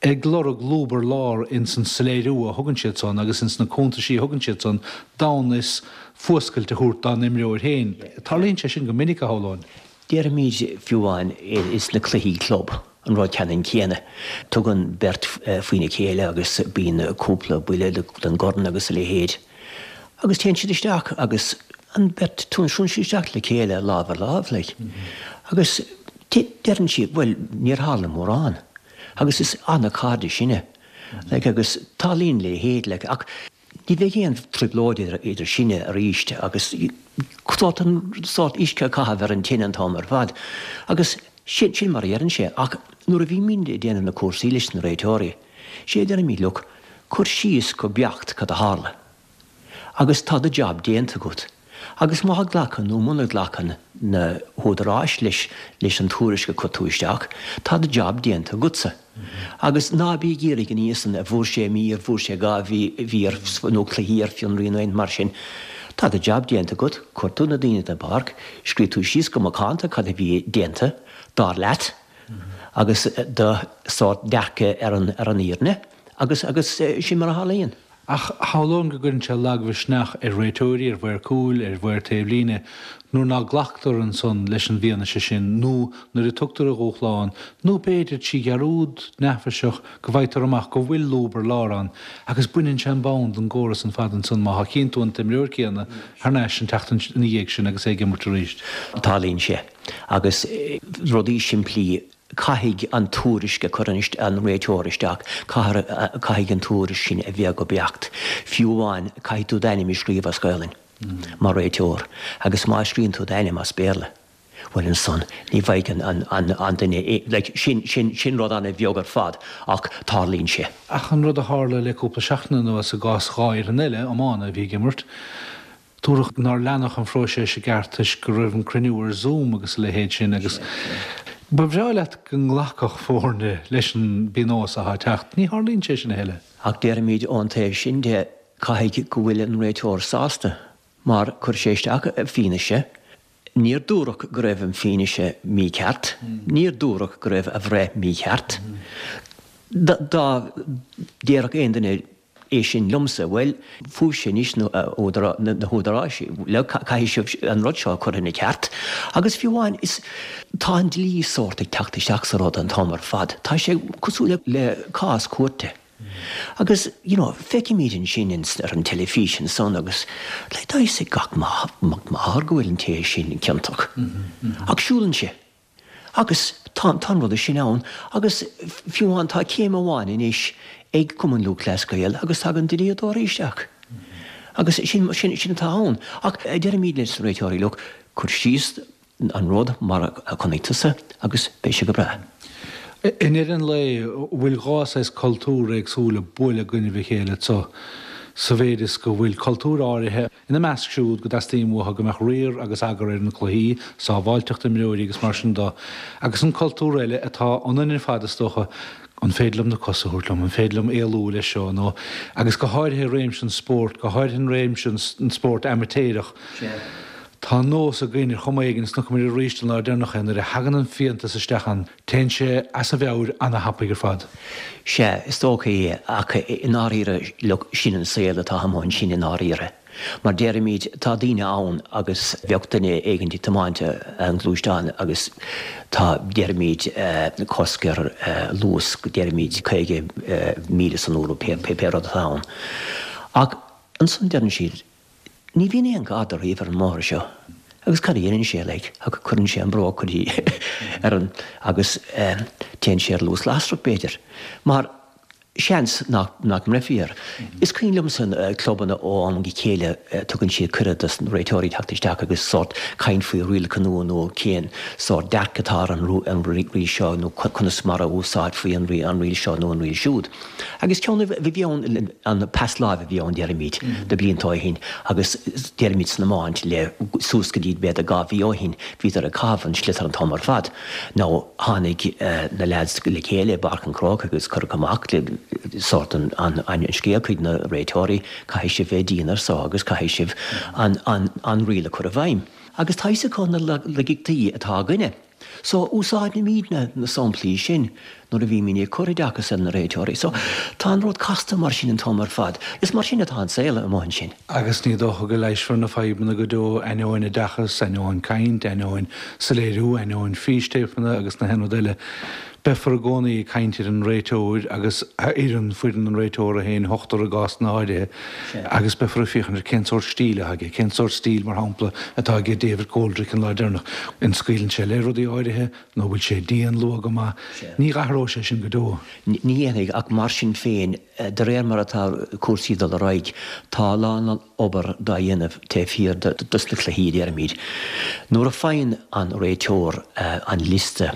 ag lorg lúb ar lár ins an soiléiriú a thugann siad san agus ins na cuntaisí a thugann siad san d'fhonn is fuascailt a thabhairt dá n-imreoir féin. Tarlaíonn sé sin go minic, a shamhlóinn. Déarfaimid fiú amháin ins na cluichí club an rud ceannann céanna. Tugann beirt faoina chéile agus bíonn cúpla buille den gcorn agus a leithéid. Agus téann siad isteach agus an bheirt, suíonn siad isteach le chéile lámh ar láimh like. Agus deireann siad bhuel níor tharla mórán. Agus is ana-chairde sinne like agus tarlaíonn a leithéid like ach Ní bheidh aon trioblóid idir sinne arís agus sórt an sórt uisce a chaitheamh ar an tine an t-am ar fad. Agus sin, sin mar a dheireann sé. Ach nuair a bhímid ag déanamh na cúrsaí leis na réiteoirí, sé a deirimid, look, cuir síos go beacht cad a tharla. Agus tá do jab déanta agat. Agus má ghlacann nó muna nglacann na húdaráis leis leis an tuairisc a chuir tú isteach, tá do jab déanta agatsa. Agus ná bí ag iarraidh an fhios an bhfuair sé mír, bhfuair sé 2 mhír nó cluichí ar fionraí nó aon mar sin. Tá do jab déanta agat, chuir tú na daoine den bpáirc, scríobh tú síos go macánta cad a bhí déanta, dar leat, agus do sórt dearcadh ar an ar an fhírinne agus agus sin mar a tharlaíonn. Ach shamhlóinn go gcuireann sé lagmhisneach ar réiteoirí, ar mhaoir cúil, ar mhaoir taobh líne, nuair ná glactar ansan leis an bhfianaise sin nó nuair a tugtar a dhúshlán, nó b'fhéidir trí dhearúd neafaiseach go bhfaightear amach go bhfuil lúb ar lár ann agus baineann sé an bonn den gcóras an fad ansan má chíonn tú an t-imreoir céanna thar n-ais an tseachtain ina dhiaidh sin agus é ag imirt arís. Tarlaíonn sé. Agus rudaí simplí Caithfidh an tuairisc a chuireann an réiteoir isteach, caithfidh an tuairisc sin a bheith go beacht. Fiú amháin, caithfidh tú d'ainm a scríobh as Gaolainn mar réiteoir agus má scríobhann tú d'ainm as Béarla, bhuel ansan ní bheidh an duine, like, sin, sin, sin rud an-bheag ar fad ach tarlaíonn sé. Ach an rud a tharla le cúpla seachtain anuas i gcás 2 fhoireann eile iomána a bhí ag imirt, Dúradh nár leanadh an phróiseas i gceart toisc go raibh an cruinniú ar Zoom agus a leithéid sin agus. Ba bhreá leat go nglacfadh foirne leis an bpionós atá ag teacht. Ní tharlaíonn sé sin a thuilleadh. Ach déarfaimid ón taobh sin de, caithfidh go bhfuil an réiteoir sásta mar chuir sé isteach fianaise, níor dúradh go raibh an fianaise mícheart, níor dúradh go raibh a bhreith mícheart. Dá déarfadh aon duine é sin liomsa, bhuel, fúibhse anois na húdaráis, caithfidh sibh an rud seo a chur ina cheart. Agus fiú amháin, is, tá an dlí sórt ag teacht isteach sa rud an t-am ar fad. Tá sé cosúil le cás cúirte. Agus, you know, feicimid ansin ar an teilifís ansan agus, like, tá fhios ag gach mac máthar go bhfuil an té sin ciontach. Ach siúlann sé. Agus tá, tá an rud sin ann agus fiú amháin tá céim amháin anois ag Cumann Lúthchleas Gael agus tagann dlíodóirí isteach. Agus sin, sin, sin atá ann. Ach deirimid leis na réiteoirí, look, cuir síos an rud mar a chonaic tusa agus beidh sé go breá. I ndeireadh an lae, bhfuil dhá saghas cultúr éagsúil ag bualadh i gcoinnibh a chéile anso, sa mhéid is go bhfuil cultúr áirithe, Ina measc siúd go dteastaíonn uathu go mbeadh riar agus eagar ar na cluichí, sábháilteacht imreoirí agus mar sin de, agus an cultúr eile atá ionainn ar fad is dócha, an féidir liom na cosa a thabhairt liom, an féidir liom éalú leis seo nó, agus go háirithe i réimse an spóirt, go háirithe in réimse an spóirt amaitéireach, tá an nós againn ar chuma éigin, is chonaic muid arís an lá deireanach é, nuair a thagann an fiántas isteach ann, téann sé as a mheabhair ana-thapaidh ar fad. Sea, is dócha é, ach i ndáiríre, look, sin an saol atá amuigh ansin i ndáiríre. Mar déarfaimid, tá daoine ann agus bheadh duine éigin ag tiomáint an ghluaisteáin agus tá, déarfaimid, cosc ar luas, déarfaimid 50 míle san uair nó pé rud atá ann. Ach ansan deireann siad, Ní bhíonn aon gharda riamh ar an mbóthar seo agus cad a dhéanann sé like ach cuireann sé an bróg go dtí ar an agus téann sé ar luas lasrach b'fhéidir mar seans nach nach mbreithfí air. Is cuimhin liomsa clubanna ó am go chéile tugann siad cuireadh dos na réiteoirí teacht isteach agus sórt caint faoi rialacha nua nó cén sórt dearcadh atá ar an riail seo nó conas mar a úsáidfí an riail seo nó an riail siúd. Agus ceann a bhí ann, an pas láimhe a bhí ann, déarfaimid, na blianta ó shin, agus déarfaimid san iomáint le suas go dtí b'fhéidir 2 mhí ó shin, bhíodar ag caitheamh an sliotar an t-am ar fad. Now tháinig na leaids le chéile i bPáirc an Chrócaigh agus cuireadh amach sórt an scéal chuig na réiteoirí, caithfidh sibh bheith dian ar so agus caithfidh sibh an riail a chur i bhfeidhm. Agus tá fhios acu na laigeachtaí atá againne. So, úsáidimidne na samplaí sin nuair a bhímid ag cur oideachas ar na réiteoirí. So, tá an rud casta mar sin an t-am ar fad. Is mar sin atá an saol amuigh ansin. Agus ní dócha go leigheasfar na fadhbanna go deo, ainneoin oideachas, ainneoin caint, ainneoin soiléiriú, ainneoin fístéipeanna agus na haon rud eile. Beifear i gcónaí ag caint ar an réiteoir agus a fhoireann, foireann an réiteora féin, ochtar i gcásanna áirithe, agus beifear ag féachaint ar cén sórt stíl atá aige, cén sórt stíl, mar shampla, atá aige David Coldrick an lá deireanach. An scaoileann sé le rudaí áirithe nó bhfuil sé dian luath go maith? Ní athróidh sé sin go deo. Ní dhéanfaidh, ach mar sin féin, de réir mar atá cúrsaí ag dul ar aghaidh, tá a lán obair dá dhéanamh taobh thiar dos na cluichí, déarfaimid. Nuair a faigheann an réiteoir an liosta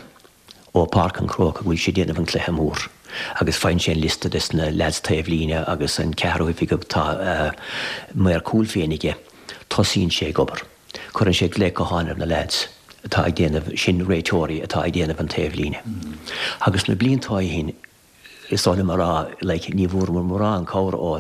ó Páirc an Chrócaigh go bhfuil sé ag déanamh an cluiche mór agus faigheann sé an liosta des na leaids taobh líne agus an ceathrú oifigeach tá maor cúil féin aige. Tosaíonn sé ag obair. Cuireann sé glaoch gutháin ar na leaids atá ag déanamh, sin réiteoirí atá ag déanamh an taobh líne. Agus na blianta ó shin Is oth liom a rá, like, ní bhfuaireamar mórán cabhair ó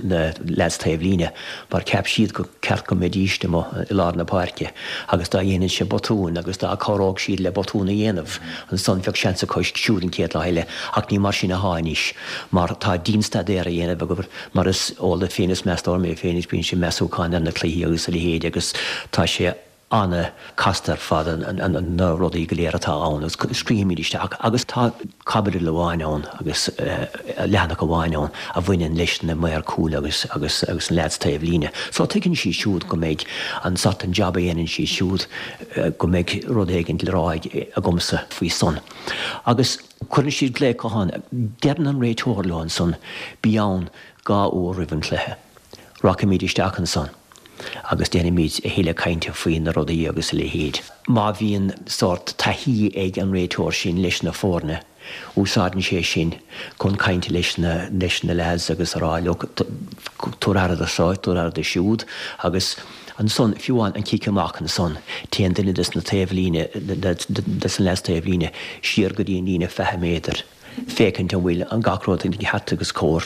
na leaids taobh líne mar cheap siad gur ceart go mbeidís amuigh i lár na páirce agus dá ndéanfainnse botún agus dá cabhródh siad le botún a dhéanamh ansan bheadh seans acu siúd an chéad lá eile ach ní mar sin athá anois mar tá dianstaidéar á dhéanamh acu mar is eol duit féin is meastóir mé féin is bíonn sé measúchán ar na cluichí agus a leithéid agus tá sé ana casta ar fad na rudaí go léir atá ann agus scríobhaimid isteach agus tá caibidil amháin ann agus leathanach amháin ann a bhaineann leis na maoir cúil agus agus agus na leaids taobh líne. So tuigeann siad siúd go mbeidh an sort an jab a dhéanann siad siúd go mbeidh rud éigin le rá agamsa faoi san. Agus cuireann siad glaoch gutháin, deireann an réiteoir leo ansan bí ann 2 uair roimh an cluiche. Rachaimid isteach ansan. agus déanfaimid a thuilleadh cainte faoi na rudaí agus a leithéid. Má bhíonn sórt taithí ag an réiteoir sin leis na foirne, Úsáideann sé sin chun caint leis na leis na lads agus a rá look tabhair aire do seo, tabhair aire do siúd agus ansan fiú amháin an cic amach ansan téann duine des na taobhlíne des na lads taobhlíne siar go dtí an líne 20 méadar féachaint an bhfuil an gach rud i gceart agus cóir.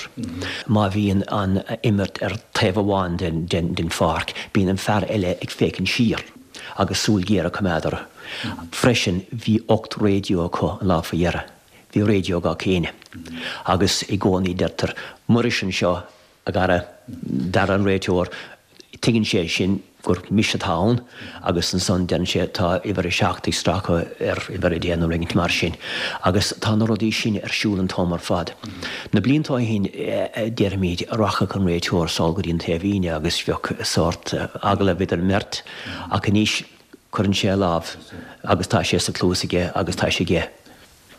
Má bhíonn an imirt ar taobh amháin den den den pháirc bíonn an fear eile ag féachaint siar agus súil ghéar a choimeád orthu. Freisin bhí 8 raidió acu an lá faoi dheireadh. Bhí raidió ag gach éinne. Agus i gcónaí deirtear, Muiris anseo, a Dhara, Dara an réiteoir, tuigeann sé sin gur mise atá ann agus ansan deireann sé tá uimhir a seacht ag stracadh ar uimhir a deich nó rud éigint mar sin. Agus tá na rudaí sin ar siúl an t-am ar fad. Na blianta ó shin déarfaimid rachadh an réiteoir sall go dtí an taobhlíne agus bheadh sórt agallamh idir an mbeirt ach anois Cuireann sé a lámh agus tá sé sa cluas aige agus tá sé aige.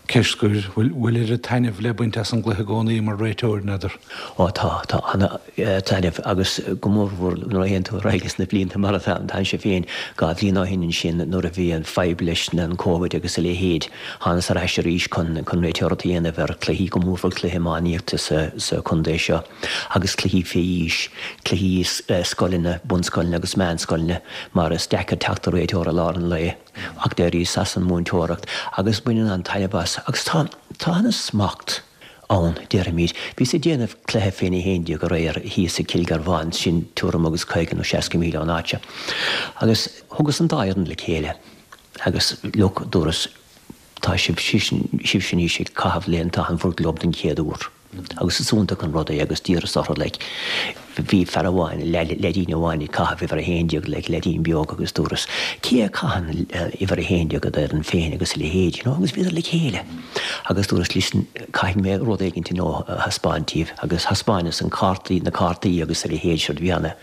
Ceist scoir, bhfuil oiread taitnimh le baint as an gcluiche i gcónaí mar réiteoir, n'fheadar? Ó tá, tá ana-thaitneamh agus go mórmhór nuair a théann tú ar aghaidh sna blianta mar atá mise féin, 2 bhliain ó shin ansin nuair a bhí an fadhb leis an Covid agus a leithéid, thánas ar ais arís chun réiteoireacht a dhéanamh ar chluichí, go mórmhór cluiche iománaíochta sa chontae seo. agus cluichí fé aois, cluichí scoileanna, bunscoileanna agus meánscoileanna, mar is deacair teacht ar réiteoir i lár an lae, ach d'éiríos as an múinteoireacht agus baineann an-taitneamh as agus tá, tá ana-smacht ann, déarfaimid. Bhíos ag déanamh cluiche fén 11 aréir thíos i Cill Garbháin, sin tuairim agus 50 nó 60 míle ón áit seo, agus thugas an dá fhoireann le chéile agus look, dúras, tá sibh, sibhse anois ag caitheamh léanta bhur gclub den chéad uair. Agus is iontach an rud é agus d'iarras orthu like bhí fear amháin, leaidín amháin ag caitheamh uimhir a haon déag like leaidín beag agus dúras cé a caitheann uimhir a haon déag i d'fhoireann féin agus a leithéid you know agus bhíodar le chéile agus dúras listen caithfidh mé rud éigint you know a thaispeáint díbh agus thaispeáineas an cártaí na cártaí agus a leithéid sure bhí ana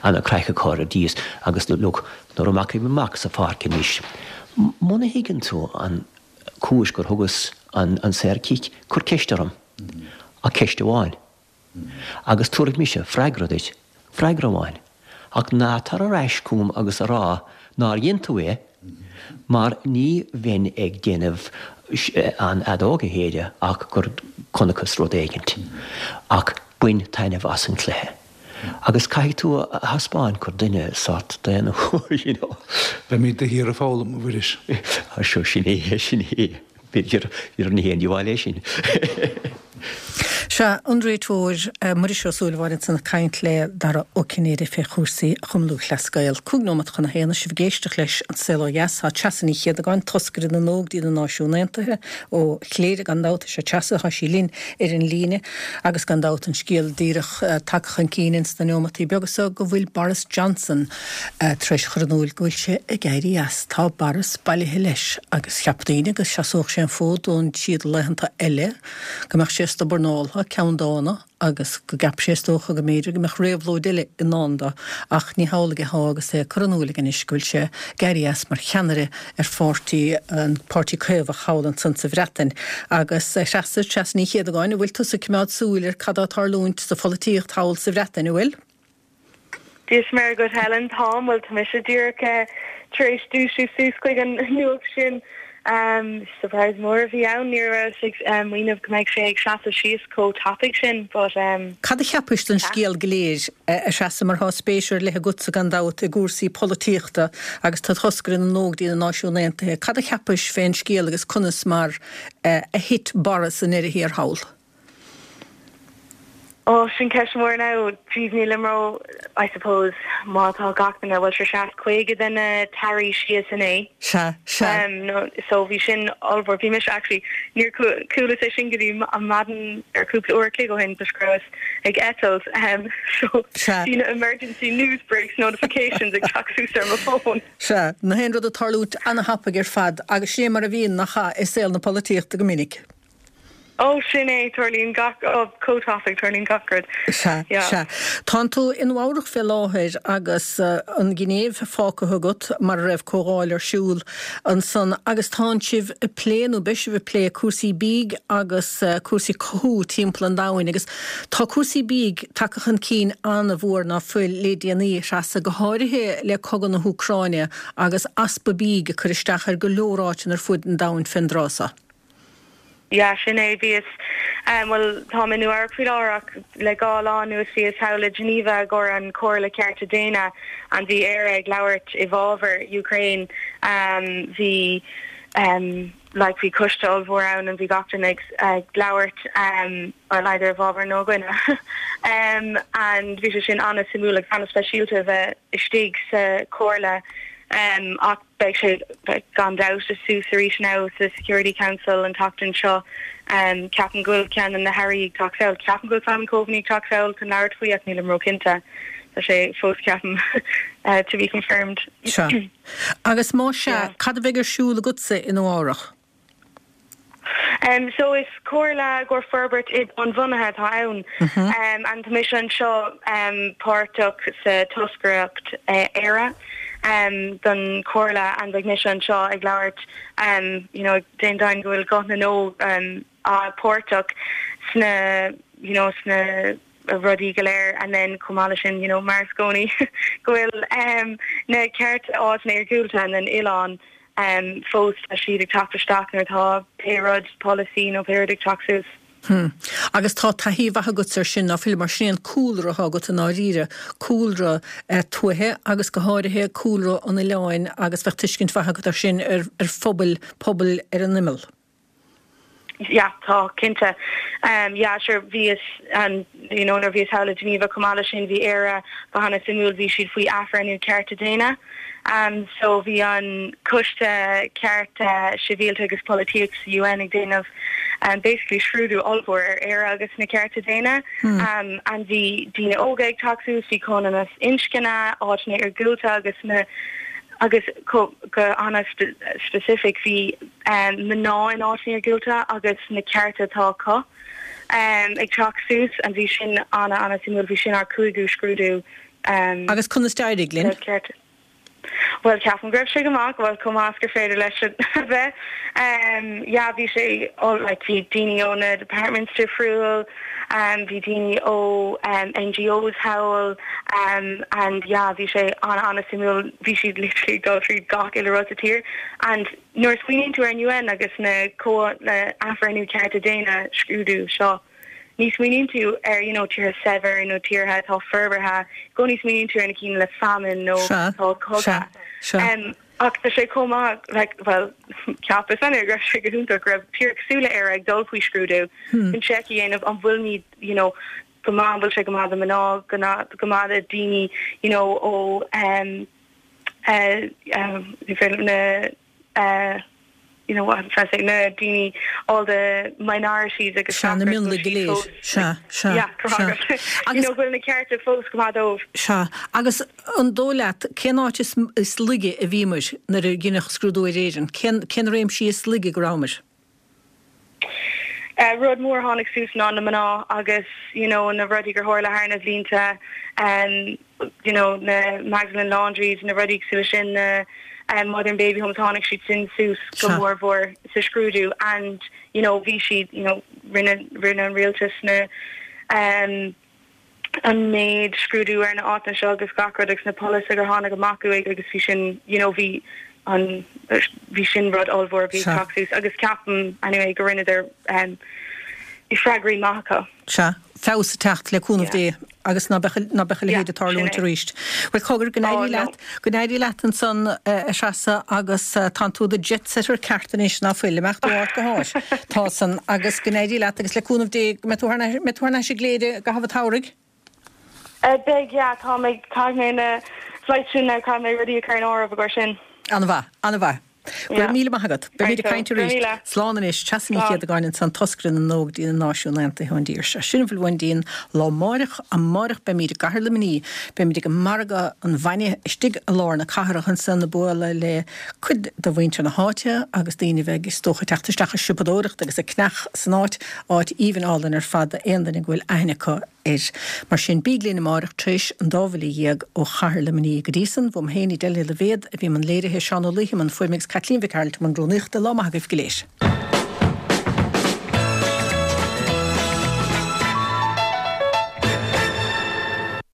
ana craic acu ar dtús agus look nuair a rachaidh mé amach sa pháirc anois muna thuigeann tú an cúis gur thugas an saorchic, cuir ceist orm, ach ceist amháin, agus tabharfaidh mise freagra duit, freagra amháin, ach ná tar ar ais chugam agus a rá nár dhein tú é, mar ní bheinn ag déanamh an fheadóg a shéideadh ach gur chonacthas rud éigint. Ach bain taitneamh as an chluiche. Agus caithfidh tú a thaispeáint gur duine sórt daonna thú, you know. Beimid de shíor ag foghlaim, a Mhuiris. Á sure, sin é, sin é. B'fhéidir gur ní haon díobháil é sin. Sea, an réiteoir Muiris Ó Súilleabháin ansan ag caint le Dara Ó Cinnéide fé chúrsaí Chumann Lúthchleas Gael. 5 nóimeat chun a haon, sibh ag éisteacht leis An Saol Ó Dheas. Tá Treasa Ní Chéadagáin, toscaire na nÓg dtí na Náisiúin Aontaithe ó Chléire, gan dabht. Is é Treasa atá sí linn ar an líne agus gan dabht an scéal díreach tagtha chun cinn ins na neomataí beaga so go bhfuil Boris Johnson tar éis chur in úil go bhfuil sé ag éirí as. Tá Boris bailithe leis agus cheap daoine go seasódh sé an fód don siad laethanta eile, go mbeadh sé stobbarnáltha, ceanndána. agus go gceap sé is dócha go mb'fhéidir go mbeadh réabhlóid eile i ndán dó, ach ní hamhlaidh atá agus é ag cur in úil aige anois go bhfuil sé ag éirí as mar cheannaire ar pháirtí, an Páirtí Caomhach thall ansan sa Bhreatain. Agus a Threasa, Treasa Ní Chéadagáin, an bhfuil tusa ag coimeád súil ar cad tá ag tarlúint sa pholaitíocht thall sa Bhreatain, an bhfuil? Dia is Muire dhuit Helen, táim, bhuel tá mise díreach tar éis dúisiú suas chuig an nuacht sin. Surprise mór a bhí ann, ní rabhas ag smaoineamh go mbeidh sé ag seasamh síos chomh tapaidh sin but. Cad a cheapais den scéal go léir, a Threasa, mar tá spéis ar leith agatsa gan dabht i gcúrsaí polaitíochta agus tú toscaire na nÓg dtí na Náisiúin Aontaithe, cad a cheapais fén scéal agus conas mar a thit Boris i ndeireadh thiar thall? Ó, sin ceist mhór now. Jeez, nílim ró, I suppose, má tá gach duine, bhuel sure sheas 50 de na tairí síos inné. Sea, sea. No, so bhí sin ollmhór. Bhí mise actually, níor chualas é sin go dtí an maidin ar cúpla uair a chloig ó shin toisc go rabhas ag eitilt. So Sea. bhí na emergency news breaks notifications ag teacht suas ar mo phone. Sea, na haon rud ag tarlúint ana-thapaidh ar fad agus sin é mar a bhíonn, nach ea, i saol na polaitíochta go minic. Ó, sin é, tarlaíonn gach, ó, chomh tapaidh, tarlaíonn gach rud. Sea, Yeah. sea. Tánn tú i Nua Eabhrac fé láthair agus an Ghinéiv fágtha agat mar a raibh comhdháil ar siúl ansan agus tánn sibh ag plé, nó beidh sibh ag plé, cúrsaí bídh agus cúrsaí cothú timpeall an domhain agus tá cúrsaí bídh tagtha chun cinn an-mhór ná fuil le déanaí, a Threasa, go háirithe le cogadh na hÚcráine agus easpa bídh ag cur isteach ar go leor áiteanna ar fuaid an domhain fén dtráth so. Yeah, sin é. Bhíos, bhuel, táim i Nua Eabhrac faoi láthair ach le 2 lá anuas bhíos thall i Geneva i gcomhair an Chomhairle Cearta Daonna and bhí Éire ag labhairt i bhfabhar Ukraine. Bhí, like, bhí coiste ollmhór ann and bhí gach duine ag, ag labhairt, well, either i bhfabhar nó i gcoinne. And bhí sé sin an-suimiúil agus an-speisialta a bheith istigh sa Chomhairle ach, Beidh sé gan dabht suas arís now sa Security Council an tseachtain seo. Ceapaim go bhfuil ceann de na hairí ag teacht sall. Ceapaim go bhfuil Simon Coveney ag teacht sall chun labhairt faoi ach nílim ró-chinnte. Tá sé fós ceapaim to be confirmed. Sea. Agus más ea, cad a bheidh ar siúl agatsa i Nua Eabhrach? So is comhairle i gcomhair forbairt oileánbhunaithe atá ann and tá mise anseo páirteach sa toscaireacht Éire don chomhairle and beidh mise anseo ag labhairt you know ag déanamh deimhin go bhfuil guth na n-óg páirteach sna you know sna rudaí go léir and then chomh maith leis sin you know mar is i gcónaí go bhfuil na cearta áiteanna iargúlta and then oileáin fós tá siad ag teacht isteach nuair atá pé rud polasaí nó pé rud ag teacht suas. Hmm. Agus tá taithí mhaith agatsa ar sin, ná fuil? Mar sin é an cúlra atá agat i ndáiríre, cúlra tuaithe agus go háirithe cúlra an oileáin agus bheadh tuiscint mhaith agat ar sin ar phobail, pobail ar an imeall. Yeah, tá, cinnte. Yeah, sure, bhíos, you know, nuair a bhíos thall i Geneva chomh maith leis sin, bhí Éire go hana-suimiúil, bhí siad faoi athbhreithniú cearta daonna. So bhí an Coiste Cearta Sibhialta agus Polaitíochta sa UN ag déanamh basically scrúdú ollmhór ar Éire agus na cearta daonna. And bhí daoine óga ag teacht suas, bhí comhionannas inscne, áiteanna iargúlta agus na, agus go ana-specific bhí mná in áiteanna iargúlta agus na cearta atá acu ag teacht suas and bhí sin ana ana suimiúil, bhí sin ár cúigiú scrúdú. Agus conas d'éirigh linn? Bhuel ceapaim go raibh sé go maith, bhuel chomh maith is gur féidir leis a bheith. Yeah bhí sé like bhí daoine ó na departments difriúil, bhí daoine ó NGOs thall and yeah bhí sé ana ana suimiúil, bhí siad literally ag dul tríd gach uile rud sa tír and Nuair a smaoiníonn tú ar an UN agus na athbhreithniú cearta daonna scrúdú seo, ní smaoiníonn tú ar you know tíortha saibhir nó tíortha atá forbartha, i gcónaí smaoiníonn tú ar na cinn le famine nó atá ag cogadh. Ach tá sé chomh maith like bhuel cheapas anyway go raibh sé go hiontach go raibh tír cosúil le Éire ag dul faoi scrúdú chun seic a dhéanamh an bhfuilimid you know go maith, an bhfuil sé go maith do mná, go maith do daoine you know ó na you know what I'm trying to say, na daoine, all the minorities agus Sea, na mionlaigh go léir. Sea, sea, Yeah, go sea. You Agus, know, go bhfuil na cearta fós go maith dóibh. sea, agus an dóigh leat, cén áit is, is laige a bhíomair nuair a deineadh scrúdú ar Éirinn? Cén, cén réimsí is laige go rabhamair? Rud mór a tháinig suas ná na mná agus you know na rudaí gur tharla thar na bhlianta you know na Magdalene Laundries na rudaí cosúil leis sin na Mother and Baby Homes tháinig siad sin suas go mór mhór sa scrúdú and you know bhí siad you know rinne rinne an rialtas na an méid scrúdú ar na áiteanna seo agus gach rud agus na polasaithe gur tháinig amach uaidh agus bhí sin you know bhí an bhí sin rud ollmhór a bhí ag teacht suas agus ceapaim anyway go rinneadar um, bhí freagraí maith acu. Sea, feabhas ag teacht le cúnamh Dé agus ná beadh ná beadh a leithéid ag tarlúint arís. Bhuel cogar go n-éirí leat, go n-éirí leat ansan a Threasa agus tánn tú i do jet setter ceart anois ná fuil, imeacht ó áit go háit. Tá san agus go n-éirí leat agus le cúnamh Dé go mbeidh tú thar mbeidh tú thar n-ais i gCléire i gcaitheamh an tsamhraidh. Beidh, yeah, tá mé, caithfidh mé na flights sin now, caithfidh mé rudaí a chur in áireamh i gcomhair sin. An-mhaith, an-mhaith. Go raibh míle maith agat. Beimid ag caint arís. Slán anois. Treasa Ní Chéadagáin ansan, toscaire na nÓg dtí na Náisiúin Aontaithe ón dtír seo. Sin a bhfuil uainn dtí'n lá amáireach. Amáireach beimid i gCathair Luimnigh. Beimid ag margadh an bhainne istigh i lár na cathrach ansan ag bualadh le cuid de mhuintir na háite agus daoine a bheidh is dócha ag teacht isteach ag siopadóireacht agus ag ceannach san áit. Áit aoibhinn álainn ar fad d'aon duine go bhfuil aithne acu air. Mar sin, bíg linn amárach tar éis an dá bhuille dhéag ó chathair Luimnigh. Go dtí san, uaim féin, Edel Ní Loibhéad, a bhí i mbun léirithe, Seán Ó Laoithe i mbun fuaime agus Caitlín Mhic Gearailt i mbun rúnaíochta. Lá maith agaibh go léir.